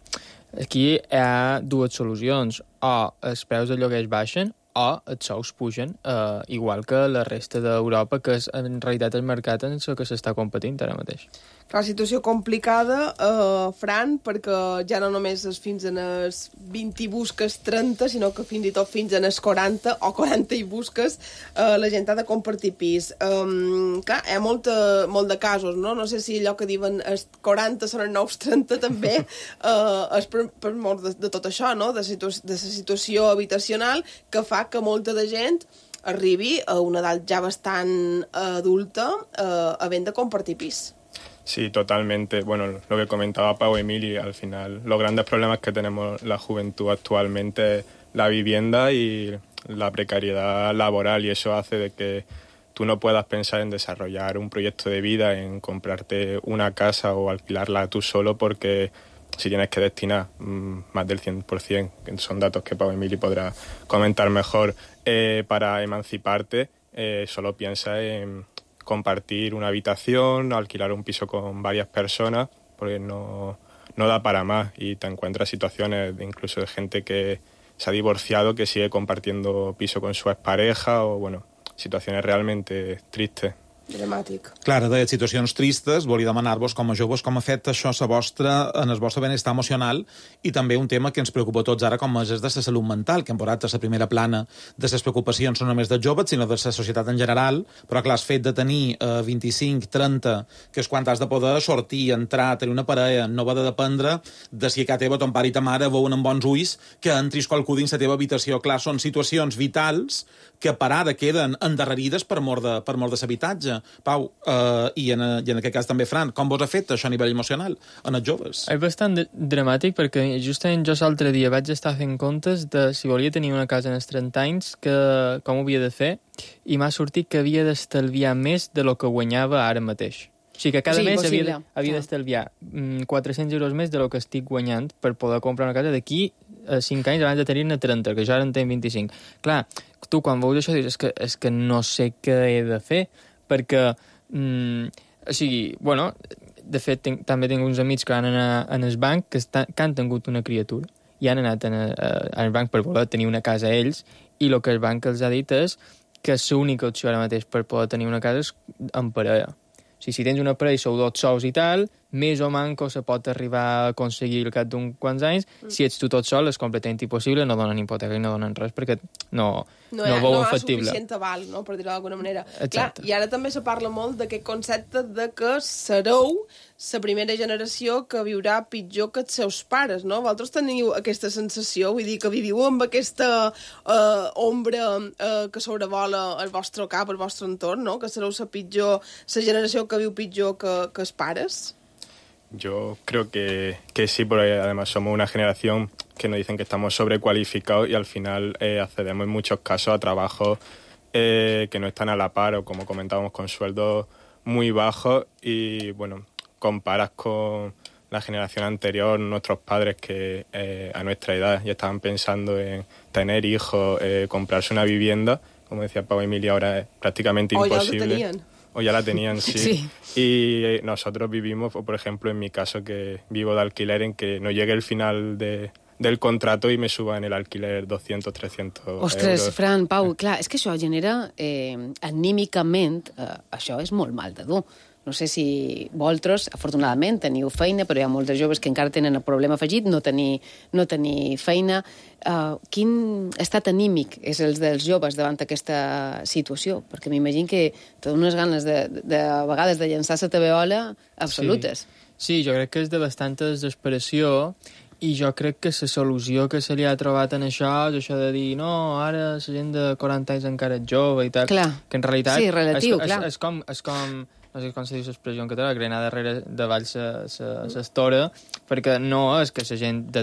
aquí hi ha dues solucions. O els preus de lloguers baixen o els sous pugen, uh, igual que la resta d'Europa, que és en realitat el mercat en el que s'està competint ara mateix. La situació complicada, eh, Fran, perquè ja no només és fins en els vint i busques trenta, sinó que fins i tot fins en els quaranta o quaranta i busques eh, la gent ha de compartir pis. Um, clar, hi ha molt, molt de casos, no? No sé si allò que diuen els quaranta són els nous trenta també eh, és per, per molt de, de tot això, no? De, situ de la situació habitacional que fa que molta de gent arribi a una edat ja bastant adulta eh, havent de compartir pis. Sí, totalmente. Bueno, lo que comentaba Pau Emili, al final, los grandes problemas que tenemos la juventud actualmente es la vivienda y la precariedad laboral, y eso hace de que tú no puedas pensar en desarrollar un proyecto de vida, en comprarte una casa o alquilarla tú solo, porque si tienes que destinar mmm, más del cien por ciento, que son datos que Pau Emili podrá comentar mejor, eh, para emanciparte, eh, solo piensa en compartir una habitación, alquilar un piso con varias personas, porque no, no da para más, y te encuentras situaciones de, incluso de gente que se ha divorciado, que sigue compartiendo piso con su expareja, o bueno, situaciones realmente tristes. Dramàtic. Clar, de situacions tristes, volia demanar-vos com a joves com ha fet això a vostra, en el vostre benestar emocional, i també un tema que ens preocupa a tots ara, com és de la salut mental, que hem posat a la primera plana de les preocupacions no només dels joves, sinó de la societat en general, però clar, el fet de tenir eh, vint-i-cinc, trenta, que és quan has de poder sortir, entrar, tenir una parella, no va de dependre de si a casa teva ton pare i ta mare veuen amb bons ulls que entris qualcú dins la teva habitació. Clar, són situacions vitals que per ara queden endarrerides per mort de, per mort de l'habitatge. Pau, eh, i, en, i en aquest cas també Fran, com vos ha fet això a nivell emocional en els joves? És bastant dramàtic perquè justament jo l'altre dia vaig estar fent comptes de si volia tenir una casa en els trenta anys, que, com ho havia de fer, i m'ha sortit que havia d'estalviar més de lo que guanyava ara mateix. O sigui que cada sí, mes possible. havia, havia d'estalviar mm, quatre-cents euros més de lo que estic guanyant per poder comprar una casa d'aquí a cinc anys abans de tenir-ne trenta, que jo ara en tenc vint-i-cinc. Clar, tu quan veus això dius és que, és que no sé què he de fer, perquè, mm, o sigui, bueno, de fet tenc, també tinc uns amics que van anar en el banc que, està, que han tingut una criatura i han anat en, a, en el banc per voler tenir una casa a ells, i el que el banc els ha dit és que l'única opció ara mateix per poder tenir una casa és en parella. O sigui, si tens una parella i sou dos sols i tal, més o manco se pot arribar a aconseguir al cap d'uns quants anys. Mm. Si ets tu tot sol, és completament impossible, no donen hipoteca i no donen res, perquè no, no, no veu no factible. No hi ha suficient aval, no?, per dir-ho d'alguna manera. Exacte. Clar, i ara també se parla molt d'aquest concepte de que sereu la primera generació que viurà pitjor que els seus pares, no? Vosaltres teniu aquesta sensació, vull dir, que viviu amb aquesta eh, ombra eh, que sobrevola el vostre cap, el vostre entorn, no?, que sereu la pitjor, la generació que viu pitjor que, que els pares? Yo creo que, que sí, porque además somos una generación que nos dicen que estamos sobrecualificados y al final eh, accedemos en muchos casos a trabajos eh, que no están a la par, o como comentábamos, con sueldos muy bajos, y bueno, comparas con la generación anterior, nuestros padres que eh, a nuestra edad ya estaban pensando en tener hijos, eh, comprarse una vivienda, como decía Pau Emili, ahora es prácticamente o imposible. Ya lo tenían. O ya la tenían, sí. Sí. Y nosotros vivimos, por ejemplo, en mi caso, que vivo de alquiler, en que no llegue el final de, del contrato i me suban el alquiler doscientos, trescientos Ostres, euros. Fran, Pau, clar, és que això genera, eh, anímicament, eh, això és molt mal de dur. No sé si vosaltres, afortunadament, teniu feina, però hi ha molts de joves que encara tenen el problema afegit, no tenir, no tenir feina. Uh, quin estat anímic és el dels joves davant aquesta situació? Perquè m'imagino que tenen unes ganes de, de, de a vegades de llançar la tabeola absolutes. Sí. sí, jo crec que és de bastanta desesperació, i jo crec que la solució que se li ha trobat en això és això de dir no, ara la gent de quaranta anys encara és jove i tal. Clar. Que en realitat sí, relatiu, és, clar. és, és, com, és com, no sé com se diu l'expressió en català, que anar darrere davall l'estora, perquè no és que la gent de,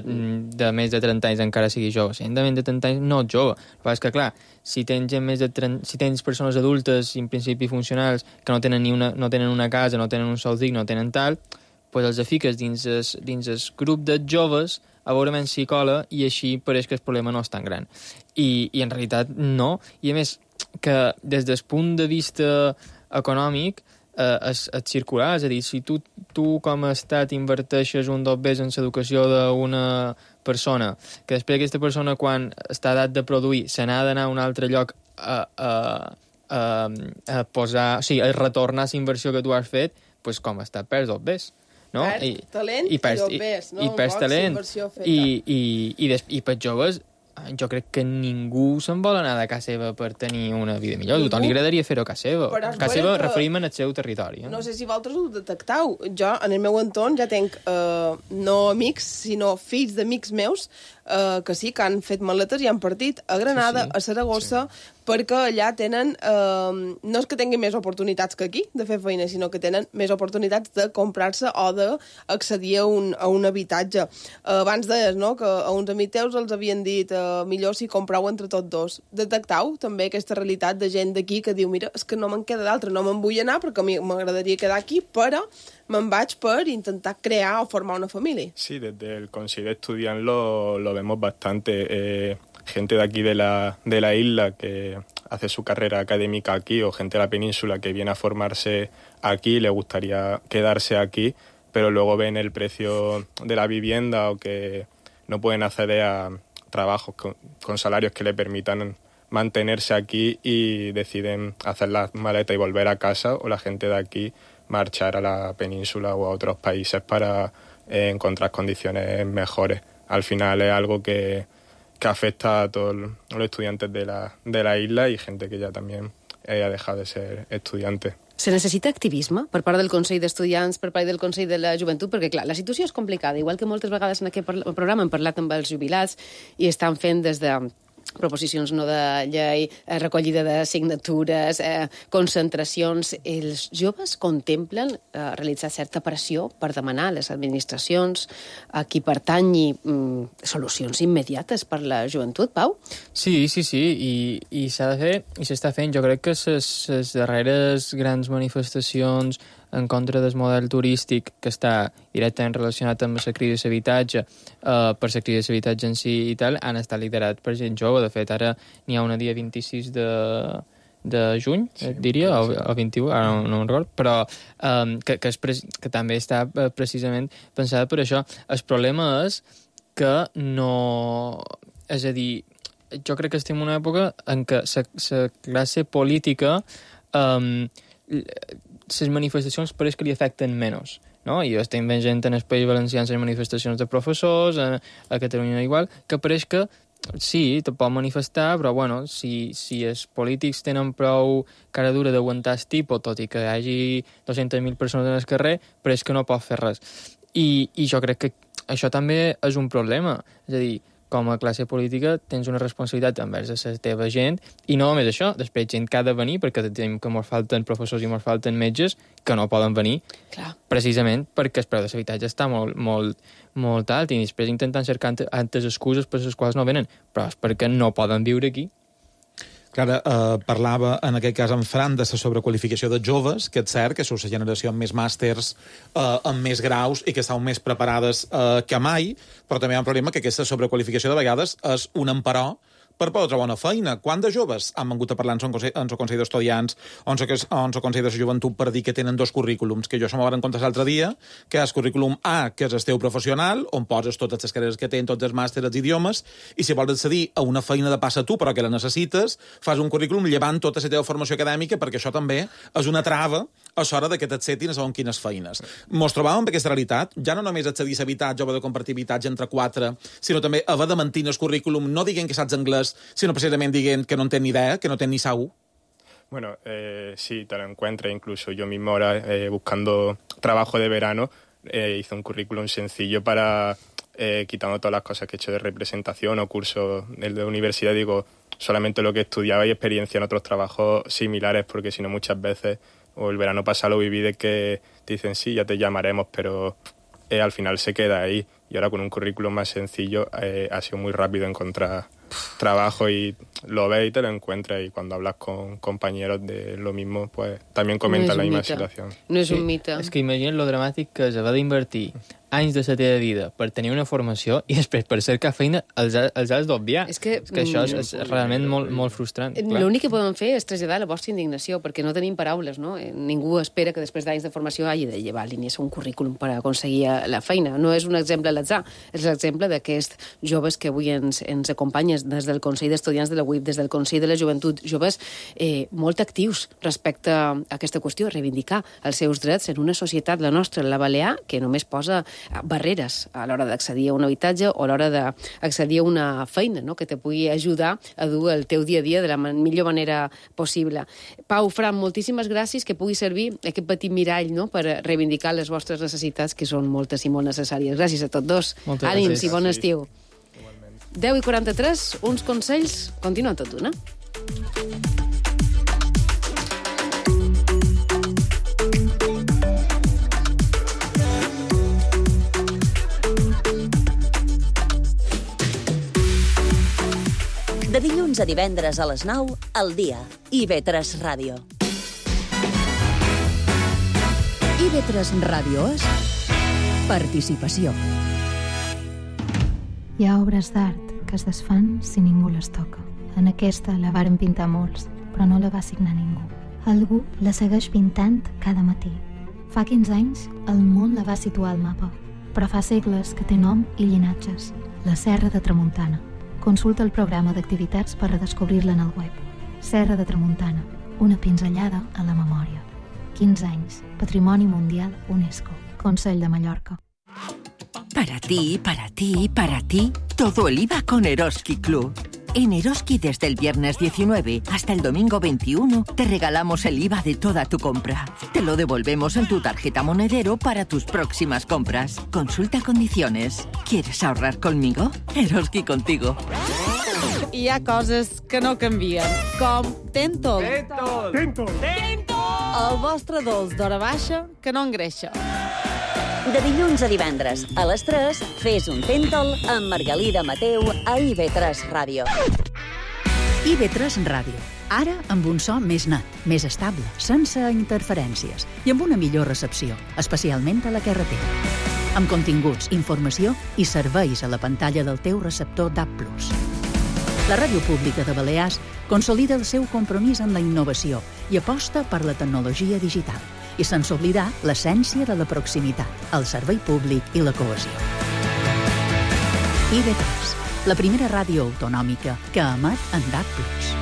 de més de trenta anys encara sigui jove. La gent de més de trenta anys no és jove. El que és que, clar, si tens gent més de trenta, si tens persones adultes i en principi funcionals que no tenen, ni una, no tenen una casa, no tenen un sou digne, no tenen tal, pues els fiques dins el, dins el grup de joves a veure menys si cola, i així pareix que el problema no és tan gran. I, i en realitat no. I a més, que des del punt de vista econòmic eh, és, és circular, és a dir, si tu, tu com a estat inverteixes un dos bes en l'educació d'una persona, que després aquesta persona quan està a edat de produir se n'ha d'anar a un altre lloc a, a, a, a posar, o sigui, a retornar la inversió que tu has fet, pues com està, perds dos bes. No? Perd I, talent i, perds, i dobbers, no? I, i perds talent. I, i, i, des, I per joves, jo crec que ningú se'n vol anar de casa seva per tenir una vida millor. A tothom li agradaria fer-ho a casa seva. A casa seva que... referim en el seu territori. Eh? No sé si vosaltres ho detectau. Jo, en el meu entorn, ja tenc eh, no amics, sinó fills d'amics meus eh, que sí, que han fet maletes i han partit a Granada, sí, sí. a Saragossa, sí. perquè allà tenen, eh, no és que tinguin més oportunitats que aquí de fer feina, sinó que tenen més oportunitats de comprar-se o d'accedir a un, a un habitatge. Eh, abans deies, no?, que a uns amics teus els havien dit eh, millor si comprau entre tots dos. Detectau també aquesta realitat de gent d'aquí que diu, mira, és que no me'n queda d'altre, no me'n vull anar perquè a mi m'agradaria quedar aquí, però me'n vaig per intentar crear o formar una familia. Sí, desde el Consell d'Estudiants lo, lo vemos bastante. Eh, gente de aquí de la, de la isla que hace su carrera académica aquí, o gente de la península que viene a formarse aquí, le gustaría quedarse aquí, pero luego ven el precio de la vivienda o que no pueden acceder a trabajos con, con salarios que le permitan mantenerse aquí y deciden hacer la maleta y volver a casa, o la gente de aquí marchar a la península o a otros países para eh, encontrar condiciones mejores. Al final es algo que, que afecta a todos los estudiantes de la, de la isla y gente que ya también eh, ha dejado de ser estudiante. Se necessita activisme per part del Consell d'Estudiants, per part del Consell de la Joventut, perquè, clar, la situació és complicada. Igual que moltes vegades en aquest programa hem parlat amb els jubilats i estan fent des de proposicions no de llei, eh, recollida de signatures, eh, concentracions. Els joves contemplen eh, realitzar certa pressió per demanar a les administracions a qui pertanyi mm, solucions immediates per la joventut, Pau? Sí, sí, sí, i, i s'ha de fer, i s'està fent. Jo crec que les darreres grans manifestacions en contra del model turístic que està directament relacionat amb la crisi d'habitatge, eh, per la crisi d'habitatge en si i tal, han estat liderat per gent jove. De fet, ara n'hi ha una dia vint-i-sis de, de juny, sí, diria, o, o vint-i-u, ara no, no me'n recordo, però um, que, que, és pre que també està precisament pensada per això. El problema és que no... És a dir, jo crec que estem en una època en què la classe política... Um, les manifestacions pareix que li afecten menys, no? I jo estic veient gent en el País Valencià en les manifestacions de professors, a, a Catalunya igual, que pareix que sí, te pot manifestar, però bueno, si, si els polítics tenen prou cara dura d'aguantar el tipus, tot i que hi hagi dues-centes mil persones en el carrer, pareix que no pot fer res. I, i jo crec que això també és un problema. És a dir, com a classe política tens una responsabilitat envers la teva gent, i no només això, després gent que ha de venir, perquè tenim que ens falten professors i ens falten metges que no poden venir. Clar. Precisament perquè el preu de l'habitatge està molt, molt, molt alt, i després intentant cercar altres excuses per les quals no venen, però és perquè no poden viure aquí. Clara, eh, parlava en aquest cas en Fran de la sobrequalificació de joves, que és cert que són la generació amb més màsters, eh, amb més graus i que estan més preparades eh, que mai, però també hi ha un problema que aquesta sobrequalificació de vegades és un emperò per poder trobar una feina. Quant de joves han vengut a parlar en el Consell, Consell d'Estudiants o en el Consell de la Joventut per dir que tenen dos currículums? Que jo se m'ho van comptar l'altre dia, que és currículum A, que és el teu professional, on poses totes les carreres que tenen, tots els màsters, els idiomes, i si vols accedir a una feina de passa tu, però que la necessites, fas un currículum llevant tota la teva formació acadèmica, perquè això també és una trava a l'hora que t'acceptin a segons quines feines. Mos trobàvem amb aquesta realitat, ja no només accedir a habitatge o de compartir habitatge entre quatre, sinó també haver de mentir el currículum, no diguent que saps anglès, sino precisamente diciendo que no tienen ni idea, que no tienen ni saú. Bueno, eh, sí, te lo encuentras. Incluso yo mismo ahora, eh, buscando trabajo de verano, eh, hice un currículum sencillo para, eh, quitando todas las cosas que he hecho de representación o cursos de, de universidad, digo, solamente lo que estudiaba y experiencia en otros trabajos similares, porque si no muchas veces, o el verano pasado lo viví de que te dicen, sí, ya te llamaremos, pero eh, al final se queda ahí. Y ahora con un currículum más sencillo eh, ha sido muy rápido encontrar trabajo, y lo ves y te lo encuentras, y cuando hablas con compañeros de lo mismo, pues también comentan no la misma mite. situación. No és sí, un mite. És que imagina't lo dramàtic que és haver d'invertir anys de la teva vida per tenir una formació i després per cercar feina els, els has d'obviar. És que, és que això és, és realment molt, molt frustrant. L'únic que podem fer és traslladar la vostra indignació, perquè no tenim paraules, no? Ningú espera que després d'anys de formació hagi de llevar línies un currículum per aconseguir la feina. No és un exemple a l'atzar, és l'exemple d'aquests joves que avui ens, ens acompanyen des del Consell d'Estudiants de la U I P, des del Consell de la Joventut, joves eh, molt actius respecte a aquesta qüestió, reivindicar els seus drets en una societat, la nostra, la balear, que només posa barreres a l'hora d'accedir a un habitatge o a l'hora d'accedir a una feina, no?, que te pugui ajudar a dur el teu dia a dia de la millor manera possible. Pau, Fran, moltíssimes gràcies, que pugui servir aquest petit mirall, no?, per reivindicar les vostres necessitats, que són moltes i molt necessàries. Gràcies a tots dos. Moltes Ànims gràcies. i bon estiu. deu i quaranta-tres, uns consells, continuen tot d'una. De dilluns a divendres a les nou, al dia. I ve tres Ràdio. I ve tres Ràdio és participació. Hi ha obres d'art que es desfan si ningú les toca. En aquesta la varen pintar molts, però no la va signar ningú. Algú la segueix pintant cada matí. Fa quinze anys, el món la va situar al mapa, però fa segles que té nom i llinatges. La Serra de Tramuntana. Consulta el programa d'activitats per redescobrir-la en el web. Serra de Tramuntana, una pinzellada a la memòria. quinze anys, Patrimoni Mundial UNESCO, Consell de Mallorca. Para ti, para ti, para ti, todo el I V A con Eroski Club. En Eroski desde el viernes diecinueve hasta el domingo veintiuno te regalamos el I V A de toda tu compra. Te lo devolvemos en tu tarjeta monedero para tus próximas compras. Consulta condiciones. ¿Quieres ahorrar conmigo? Eroski contigo. Hi ha coses que no canvien, com Tentol. Tentol. Tentol. El vostre dolç d'hora baixa que no engreixa. De dilluns a divendres, a les tres, fes un Tentol amb Margalida Mateu a I ve tres Ràdio. I ve tres Ràdio. Ara amb un so més net, més estable, sense interferències i amb una millor recepció, especialment a la carretera. Amb continguts, informació i serveis a la pantalla del teu receptor D A B plus. La Ràdio Pública de Balears consolida el seu compromís amb la innovació i aposta per la tecnologia digital, i sense oblidar l'essència de la proximitat, el servei públic i la cohesió. I ve tres, la primera ràdio autonòmica que emet en D A B plus.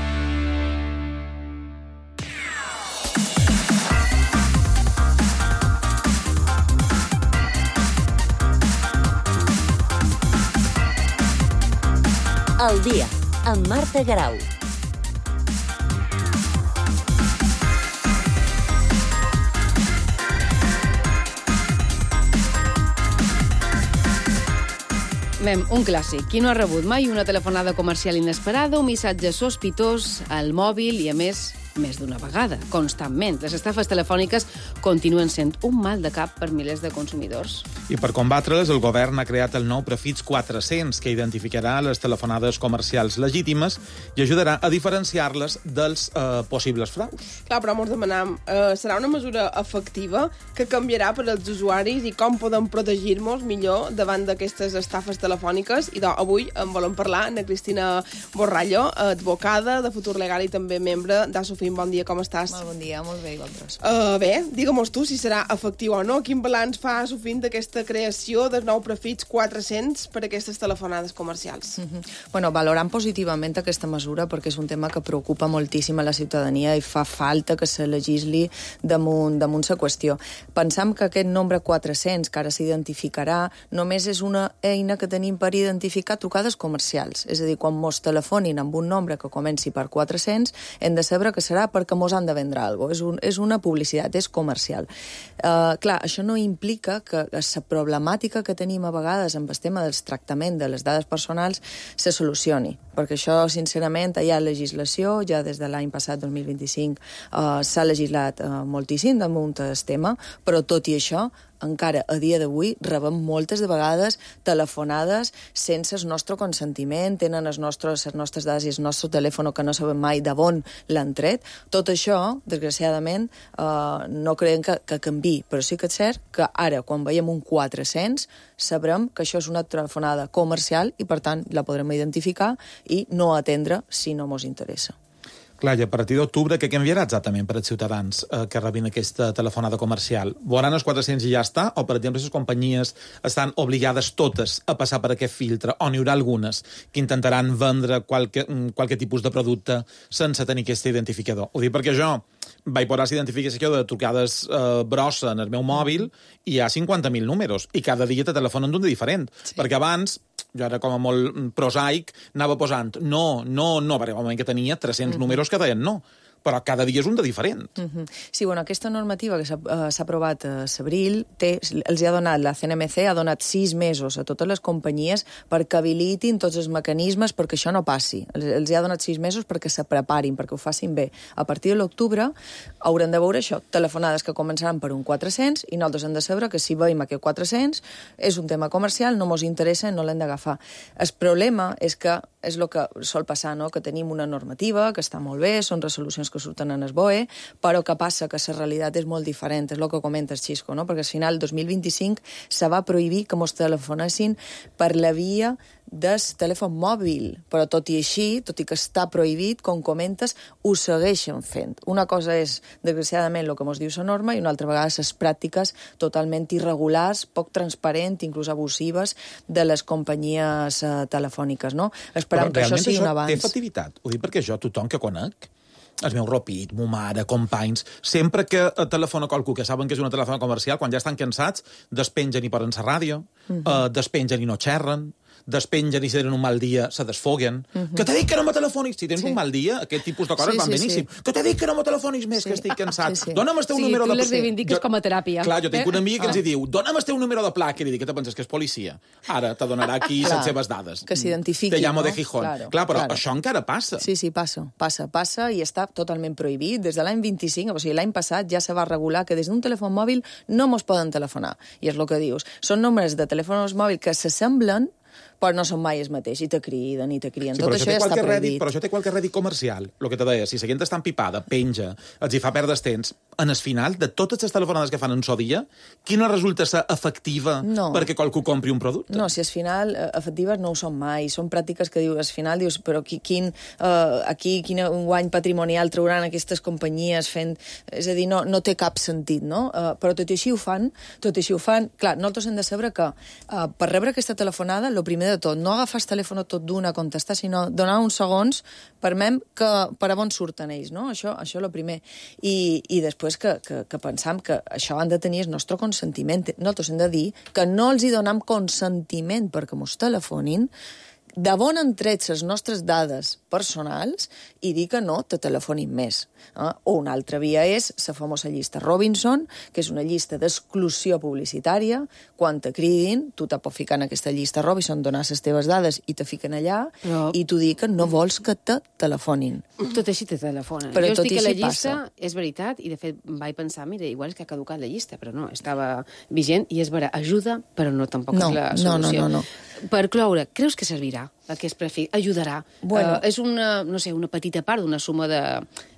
El dia, amb Marta Garau. Mem, un clàssic. Qui no ha rebut mai una telefonada comercial inesperada, un missatge sospitós al mòbil i, a més, més d'una vegada, constantment. Les estafes telefòniques continuen sent un mal de cap per milers de consumidors. I per combatre-les, el govern ha creat el nou Prefix quatre-cents, que identificarà les telefonades comercials legítimes i ajudarà a diferenciar-les dels eh, possibles fraus. Clar, però ens demanam, eh, serà una mesura efectiva que canviarà per als usuaris i com podem protegir-nos millor davant d'aquestes estafes telefòniques? I doncs, avui en volem parlar amb Cristina Borrallo, advocada de Futur Legal i també membre d'Asofim. Bon dia, com estàs? Molt bon dia, molt bé, i vosaltres? Uh, bé, digue-mos tu si serà efectiu o no. Quin balanç fa Asofim d'aquesta creació del nou Prefix quatre-cents per a aquestes telefonades comercials? Mm-hmm. Bueno, valorant positivament aquesta mesura perquè és un tema que preocupa moltíssim a la ciutadania i fa falta que se legisli damunt, damunt la qüestió. Pensam que aquest nombre quatre-cents, que ara s'identificarà, només és una eina que tenim per identificar trucades comercials. És a dir, quan mos telefonin amb un nombre que comenci per quatre-cents, hem de saber que serà perquè mos han de vendre alguna cosa. És, un, és una publicitat, és comercial. Uh, clar, això no implica que la problemàtica que tenim a vegades amb el tema del tractament de les dades personals se solucioni, perquè això, sincerament, hi ha legislació, ja des de l'any passat, dos mil vint-i-cinc, uh, s'ha legislat uh, moltíssim damunt del tema, però tot i això, encara a dia d'avui rebem moltes de vegades telefonades sense el nostre consentiment, tenen els nostres, les nostres dades i el nostre telèfon que no sabem mai d'on l'han tret. Tot això, desgraciadament, eh, no creiem que, que canvi, però sí que és cert que ara, quan veiem un quatre-cents, sabrem que això és una telefonada comercial i, per tant, la podrem identificar i no atendre si no mos interessa. Clar, i a partir d'octubre, què canviarà exactament per als ciutadans eh, que rebin aquesta telefonada comercial? Veuran els quatre-cents i ja està? O, per exemple, les companyies estan obligades totes a passar per aquest filtre? O n'hi haurà algunes que intentaran vendre qualque, qualque tipus de producte sense tenir aquest identificador? Ho dic perquè jo vaig posar la identificació de trucades eh, brossa en el meu mòbil i hi ha cinquanta mil números i cada dia te telefonen d'un de diferent. Sí. Perquè abans, jo era com a molt prosaic, anava posant no, no, no, perquè al moment que tenia tres-cents mm-hmm. números que deien no. però cada dia és un de diferent. Uh-huh. Sí, bueno, aquesta normativa que s'ha uh, aprovat a l'abril, els ha donat, la C N M C ha donat sis mesos a totes les companyies perquè habilitin tots els mecanismes perquè això no passi. Els, els ha donat sis mesos perquè se preparin, perquè ho facin bé. A partir de l'octubre haurem de veure això, telefonades que començaran per un quatre-cents i nosaltres hem de saber que si veiem aquest quatre-cents és un tema comercial, no mos interessa, no l'hem d'agafar. El problema és que és el que sol passar, no? Que tenim una normativa que està molt bé, són resolucions que surten en el B O E, però que passa que la realitat és molt diferent, és el que comentes, Xisco, no? Perquè al final, el dos mil vint-i-cinc, se va prohibir que mos telefonessin per la via del telèfon mòbil, però tot i així, tot i que està prohibit, com comentes, ho segueixen fent. Una cosa és, desgraciadament, el que mos diu la norma i una altra vegada les pràctiques totalment irregulars, poc transparents, inclús abusives, de les companyies eh, telefòniques, no? Esperam que això sigui un avanç. Té efectivitat? Ho dic perquè jo, tothom que conec, el meu ropit, mo mare, companys, sempre que telefona qualcú que saben que és una telefona comercial, quan ja estan cansats, despengen i posen la ràdio, uh-huh. eh, despengen i no xerren, despengen i si tenen un mal dia se desfoguen. Uh-huh. Que t'he dit que no me telefonis! Si tens sí. un mal dia, aquest tipus de coses sí, van sí, beníssim. Sí. Que t'he dit que no me telefonis més, sí. que estic cansat. Sí, sí. Dóna'm el teu sí, número de... Sí, tu les reivindiques jo... com a teràpia. Clar, jo tinc eh? un amic que ah. ens hi diu dóna'm el teu número de placa. I li dic, què te penses, que és policia? Ara te donarà aquí les seves dades. Que s'identifiqui, Te llamo no? de Gijón. Claro, Clar, però claro. això encara passa. Sí, sí, passa, passa, passa i està totalment prohibit. Des de l'any vint-i-cinc, o sigui, l'any passat ja se va regular que des d'un telèfon mòbil no mos poden telefonar. I és el que dius. Són números de telèfons mòbils que s'assemblen, però no són mai els mateixos, i te criden, i te criden. Sí, Tot això, això ja està prohibit. Però això té qualque rèdit comercial, el que te deia. Si la gent està empipada, penja, els hi fa perdre temps, en el final, de totes les telefonades que fan en so dia, quina resulta ser efectiva no. perquè qualcú compri un producte? No, si al final efectives no ho són mai. Són pràctiques que dius, al final dius, però qui, quin, uh, aquí quin guany patrimonial trauran aquestes companyies fent... És a dir, no, no té cap sentit, no? Uh, però tot i així ho fan, tot i així ho fan. Clar, nosaltres hem de saber que uh, per rebre aquesta telefonada, el primer de tot, no agafar el telèfon tot d'una a contestar, sinó donar uns segons per mem que per a on surten ells, no? Això això el primer. I, i després que, que, que pensam que això han de tenir el nostre consentiment. Nosaltres hem de dir que no els hi donam consentiment perquè mos telefonin, de bon han tret les nostres dades personals i dir que no te telefonin més. Eh? O una altra via és la famosa llista Robinson, que és una llista d'exclusió publicitària. Quan te cridin, tu te pots ficar en aquesta llista Robinson, donar les teves dades i te fiquen allà, Però... i tu dic que no vols que te telefonin. Tot així te telefonen. Però jo tot estic a la llista, passa. És veritat, i de fet vaig pensar, mira, igual és que ha caducat la llista, però no, estava vigent, i és vera, ajuda, però no tampoc no, és la solució. No, no, no, no. Per cloure, creus que servirà aquest prefix? Ajudarà? Bueno. Uh, és una, no sé, una petita part d'una suma de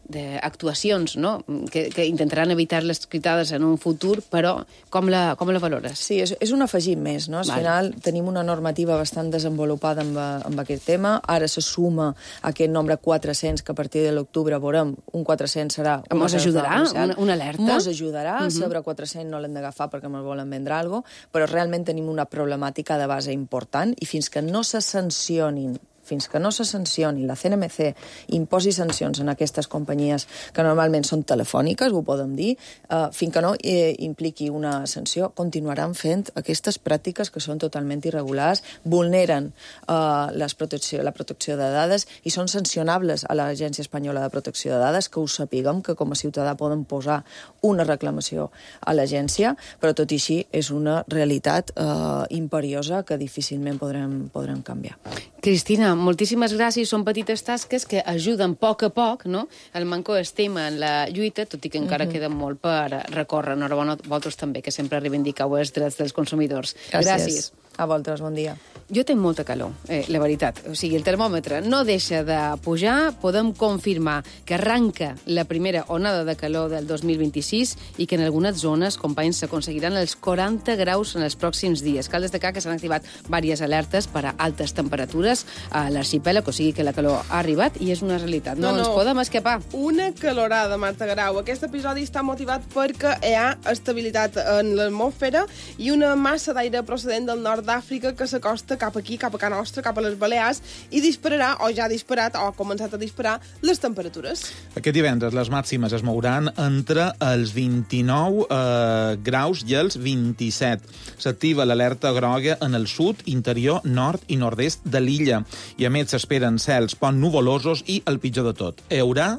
d'actuacions, no? Que, que intentaran evitar les critades en un futur, però com la, com la valores? Sí, és, és un afegit més, no? Al vale. final tenim una normativa bastant desenvolupada amb, amb aquest tema, ara se suma aquest nombre quatre-cents, que a partir de l'octubre veurem, un quatre-cents serà... Mos ajudarà? Una, una alerta? Mos ajudarà, uh-huh. Sobre quatre-cents no l'hem d'agafar perquè ens volen vendre alguna cosa, però realment tenim una problemàtica de base important i fins que no se sancionin fins que no se sancioni, la C N M C imposi sancions en aquestes companyies que normalment són telefòniques, ho podem dir, eh, fins que no eh, impliqui una sanció, continuaran fent aquestes pràctiques que són totalment irregulars, vulneren eh, les protecció, la protecció de dades i són sancionables a l'Agència Espanyola de Protecció de Dades, que ho sapiguem, que com a ciutadà poden posar una reclamació a l'agència, però tot i així és una realitat eh, imperiosa que difícilment podrem, podrem canviar. Cristina, moltíssimes gràcies. Són petites tasques que ajuden a poc a poc, no? El Manco estima en la lluita, tot i que encara mm-hmm. queda molt per recórrer. Enhorabona a vosaltres també, que sempre reivindiqueu els drets dels consumidors. Gràcies. Gràcies. A vosaltres, bon dia. Jo tinc molta calor, eh, la veritat. O sigui, el termòmetre no deixa de pujar. Podem confirmar que arranca la primera onada de calor del dos mil vint-i-sis i que en algunes zones, companys, s'aconseguiran els quaranta graus en els pròxims dies. Cal destacar que s'han activat diverses alertes per a altes temperatures a l'arxipèlag, o sigui que la calor ha arribat i és una realitat. No, no ens no. podem escapar. Una calorada, Marta Grau. Aquest episodi està motivat perquè hi ha estabilitat en l'atmosfera i una massa d'aire procedent del nord d'Àfrica que s'acosta cap aquí, cap a Can Nostra, cap a les Balears, i dispararà, o ja ha disparat, o ha començat a disparar, les temperatures. Aquest divendres les màximes es mouran entre els vint-i-nou eh, graus i els vint-i-set. S'activa l'alerta groga en el sud, interior, nord i nord-est de l'illa. I a més s'esperen cels poc nuvolosos i el pitjor de tot. Hi haurà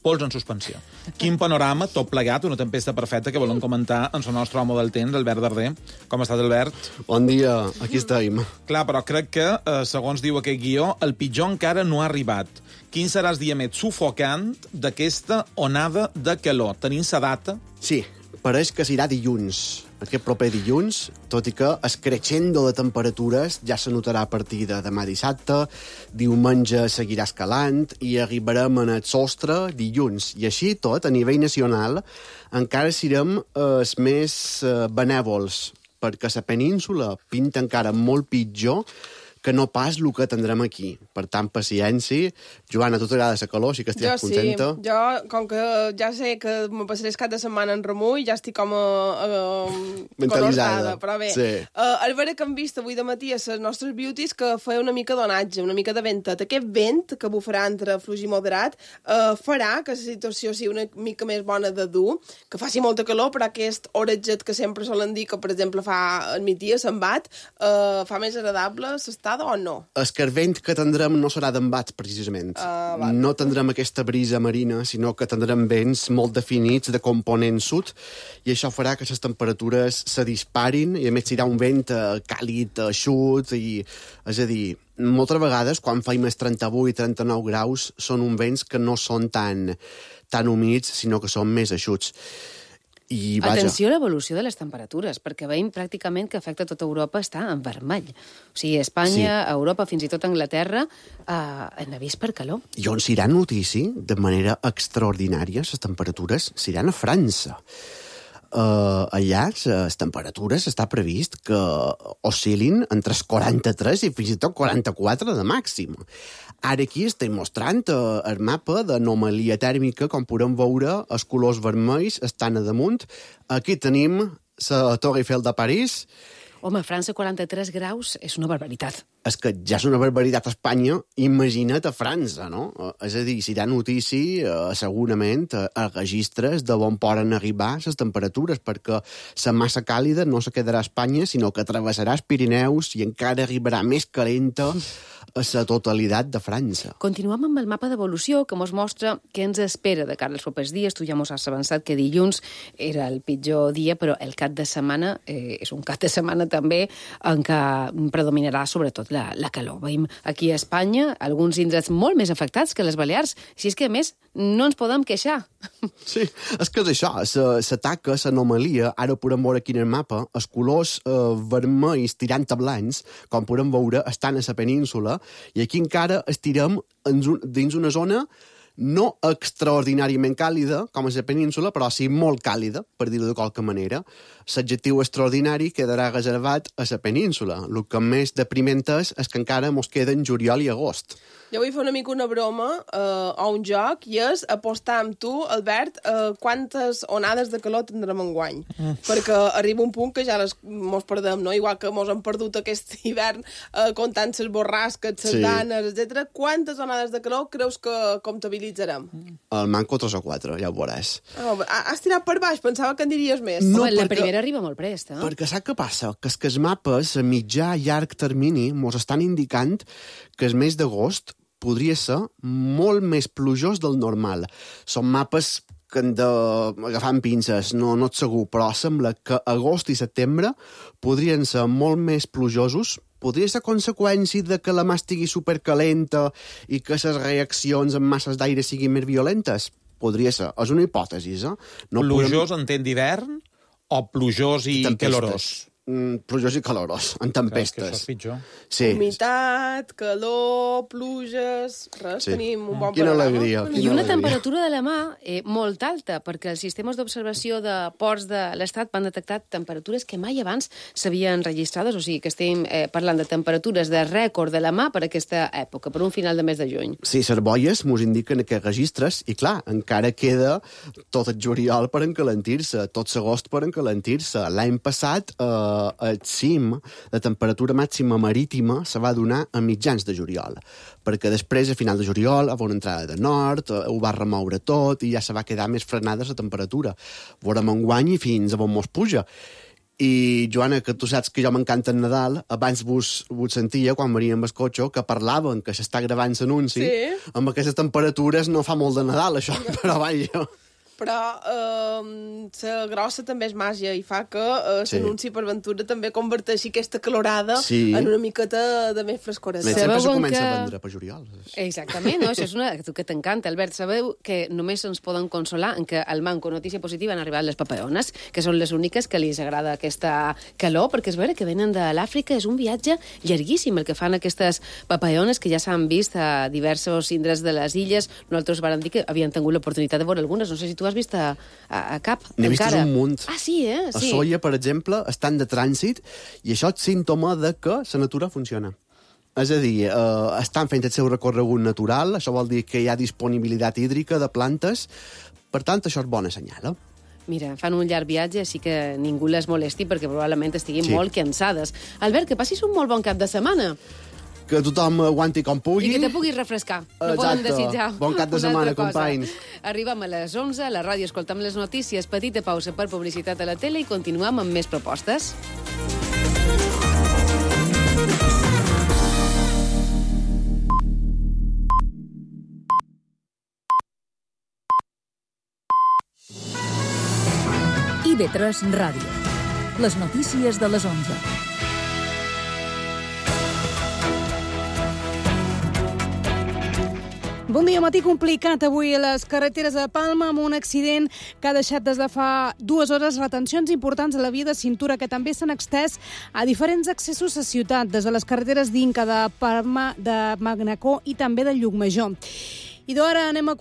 pols en suspensió. Quin panorama, tot plegat, una tempesta perfecta que volem comentar en el nostre home del temps, Albert Darder. Com estàs, Albert? Bon dia, aquí estem. Clar, però crec que, eh, segons diu aquest guió, el pitjor encara no ha arribat. Quin serà el dia més sufocant d'aquesta onada de calor? Tenim la data? Sí, pareix que serà dilluns. Aquest proper dilluns, tot i que el crescendo de temperatures ja se notarà a partir de demà dissabte, diumenge seguirà escalant i arribarem en el sostre dilluns. I així tot, a nivell nacional, encara serem els més eh, benèvols, perquè la península pinta encara molt pitjor que no pas el que tindrem aquí. Per tant, paciència. Joana, a tu t'agrada la calor, sí que estic jo contenta? Sí, jo, com que ja sé que me passaré el cap de setmana en remull, ja estic com a, a, mentalitzada. Però bé, sí. uh, el veure que hem vist avui de matí a les nostres beauties que feia una mica d'onatge, una mica de ventet. Aquest vent que bufarà entre fluix i moderat uh, farà que la situació sigui una mica més bona de dur, que faci molta calor, però aquest oratget que sempre solen dir que, per exemple, fa al migdia, se'n bat, uh, fa més agradable s'està o no? El que el vent que tindrem no serà d'embats, precisament. Uh, vale. No tindrem aquesta brisa marina, sinó que tindrem vents molt definits de component sud, i això farà que les temperatures se disparin, i a més serà un vent uh, càlid, eixut, i, és a dir, moltes vegades, quan fa més trenta-vuit i trenta-nou graus, són uns vents que no són tan, tan humits, sinó que són més eixuts. I, vaja. Atenció a l'evolució de les temperatures, perquè veiem pràcticament que afecta tota Europa està en vermell. O sigui, Espanya, sí. Europa, fins i tot Anglaterra, eh, en avís per calor. I on s'irà notici, de manera extraordinària, les temperatures s'iran a França. Uh, allà les temperatures està previst que oscil·lin entre els quaranta-tres i fins i tot quaranta-quatre de màxim. Ara aquí estem mostrant uh, el mapa d'anomalia tèrmica, com podem veure, els colors vermells estan a damunt. Aquí tenim la Torre Eiffel de París. Home, a França quaranta-tres graus és una barbaritat. És que ja és una barbaritat a Espanya, imagina't a França, no? És a dir, si hi ha notícia, eh, segurament, eh, a registres de on poden arribar les temperatures, perquè la massa càlida no se quedarà a Espanya, sinó que travessarà els Pirineus i encara arribarà més calenta a la totalitat de França. Continuem amb el mapa d'evolució que ens mostra què ens espera de cara als propers dies. Tu ja ens has avançat que dilluns era el pitjor dia, però el cap de setmana eh, és un cap de setmana també en què predominarà sobretot la, la calor. Veiem aquí a Espanya alguns indrets molt més afectats que les Balears, si és que a més no ens podem queixar. Sí, és que és això, la taca, l'anomalia, ara podem veure aquí en el mapa, els colors eh, vermells tirant a blancs, com podem veure, estan a la península, i aquí encara estirem dins una zona no extraordinàriament càlida, com és la península, però sí molt càlida, per dir-ho de qualque manera. L'adjectiu extraordinari quedarà reservat a la península. El que més depriment és, és que encara mos queden juliol i agost. Jo vull fer una mica una broma eh, o un joc, i és apostar amb tu, Albert, eh, quantes onades de calor tindrem enguany. Mm. Perquè arriba un punt que ja les mos perdem, no? Igual que mos hem perdut aquest hivern eh, comptant les borrasques, les sí. danes, etcètera. Quantes onades de calor creus que comptabilitzarem? El manco tres o quatre, ja ho veuràs. Oh, has tirat per baix, pensava que en diries més. No, Home, la perquè, primera arriba molt prest, eh? Perquè sap què passa? Que és que els mapes a mitjà i llarg termini mos estan indicant que el mes d'agost podria ser molt més plujós del normal. Són mapes que hem d'agafar amb pinces, no, no et segur, però sembla que agost i setembre podrien ser molt més plujosos. Podria ser conseqüència de que la mà estigui supercalenta i que les reaccions amb masses d'aire siguin més violentes? Podria ser. És una hipòtesi, eh? No plujós podem... en temps d'hivern o plujós i calorós? Mm, plujós i calorós, en tempestes. Que això és pitjor. Sí. Humitat, calor, pluges... Res, sí. Tenim un bon quina panorama. Alegria, I quina una alegria. temperatura de la mà eh, molt alta, perquè els sistemes d'observació de ports de l'Estat van detectar temperatures que mai abans s'havien registrades, o sigui que estem eh, parlant de temperatures de rècord de la mà per aquesta època, per un final de mes de juny. Sí, les boies mos indiquen aquests registres i, clar, encara queda tot el juliol per encalentir-se, tot l'agost per encalentir-se. L'any passat... Eh, el cim de temperatura màxima marítima se va donar a mitjans de juliol, perquè després, a final de juliol, va una entrada de nord, ho va remoure tot i ja se va quedar més frenada la temperatura. Veurem enguany i fins a on mos puja. I, Joana, que tu saps que jo m'encanta el Nadal, abans vos, vos sentia, quan veníem el cotxe, que parlaven, que s'està gravant l'anunci. Sí. Amb aquestes temperatures no fa molt de Nadal, això, però vaja... Però eh, la grossa també és màgia i fa que eh, Sí. l'anunci per Ventura també converteixi aquesta calorada Sí. en una miqueta de més frescora. Més sempre se Sabeu comença que- a vendre per juliol. Exactament, no? Això és una que t'encanta, Albert. Sabeu que només ens poden consolar en que al Manco notícia positiva han arribat les papayones, que són les úniques que li agrada aquesta calor, perquè és vera que venen de l'Àfrica, és un viatge llarguíssim el que fan aquestes papayones, que ja s'han vist a diversos indrets de les illes. Nosaltres vàrem dir que havien tingut l'oportunitat de veure algunes. No sé si tu has vist a, a, a cap, N'he vist encara. un munt. Ah, sí, eh? A Sí. Soia, per exemple, estan de trànsit i això és símptoma de que la natura funciona. És a dir, eh, estan fent el seu recorregut natural, això vol dir que hi ha disponibilitat hídrica de plantes, per tant, això és bona senyal, eh? Mira, fan un llarg viatge, així que ningú les molesti, perquè probablement estiguin Sí. molt cansades. Albert, que passis un molt bon cap de setmana Que tothom aguanti com pugui. i que te puguis refrescar. No poden Exacte. desitjar Bon cap de una setmana, altra cosa. companys. Arribem a les onze, a la ràdio escoltem les notícies, petita pausa per publicitat a la tele i continuem amb més propostes. I B tres Ràdio. Les notícies de les onze. Bon dia, matí complicat avui a les carreteres de Palma amb un accident que ha deixat des de fa dues hores retencions importants a la via de cintura que també s'han extès a diferents accessos a ciutat, des de les carreteres d'Inca, de Palma, de Magnacó i també de Llucmajor. I d'ara anem a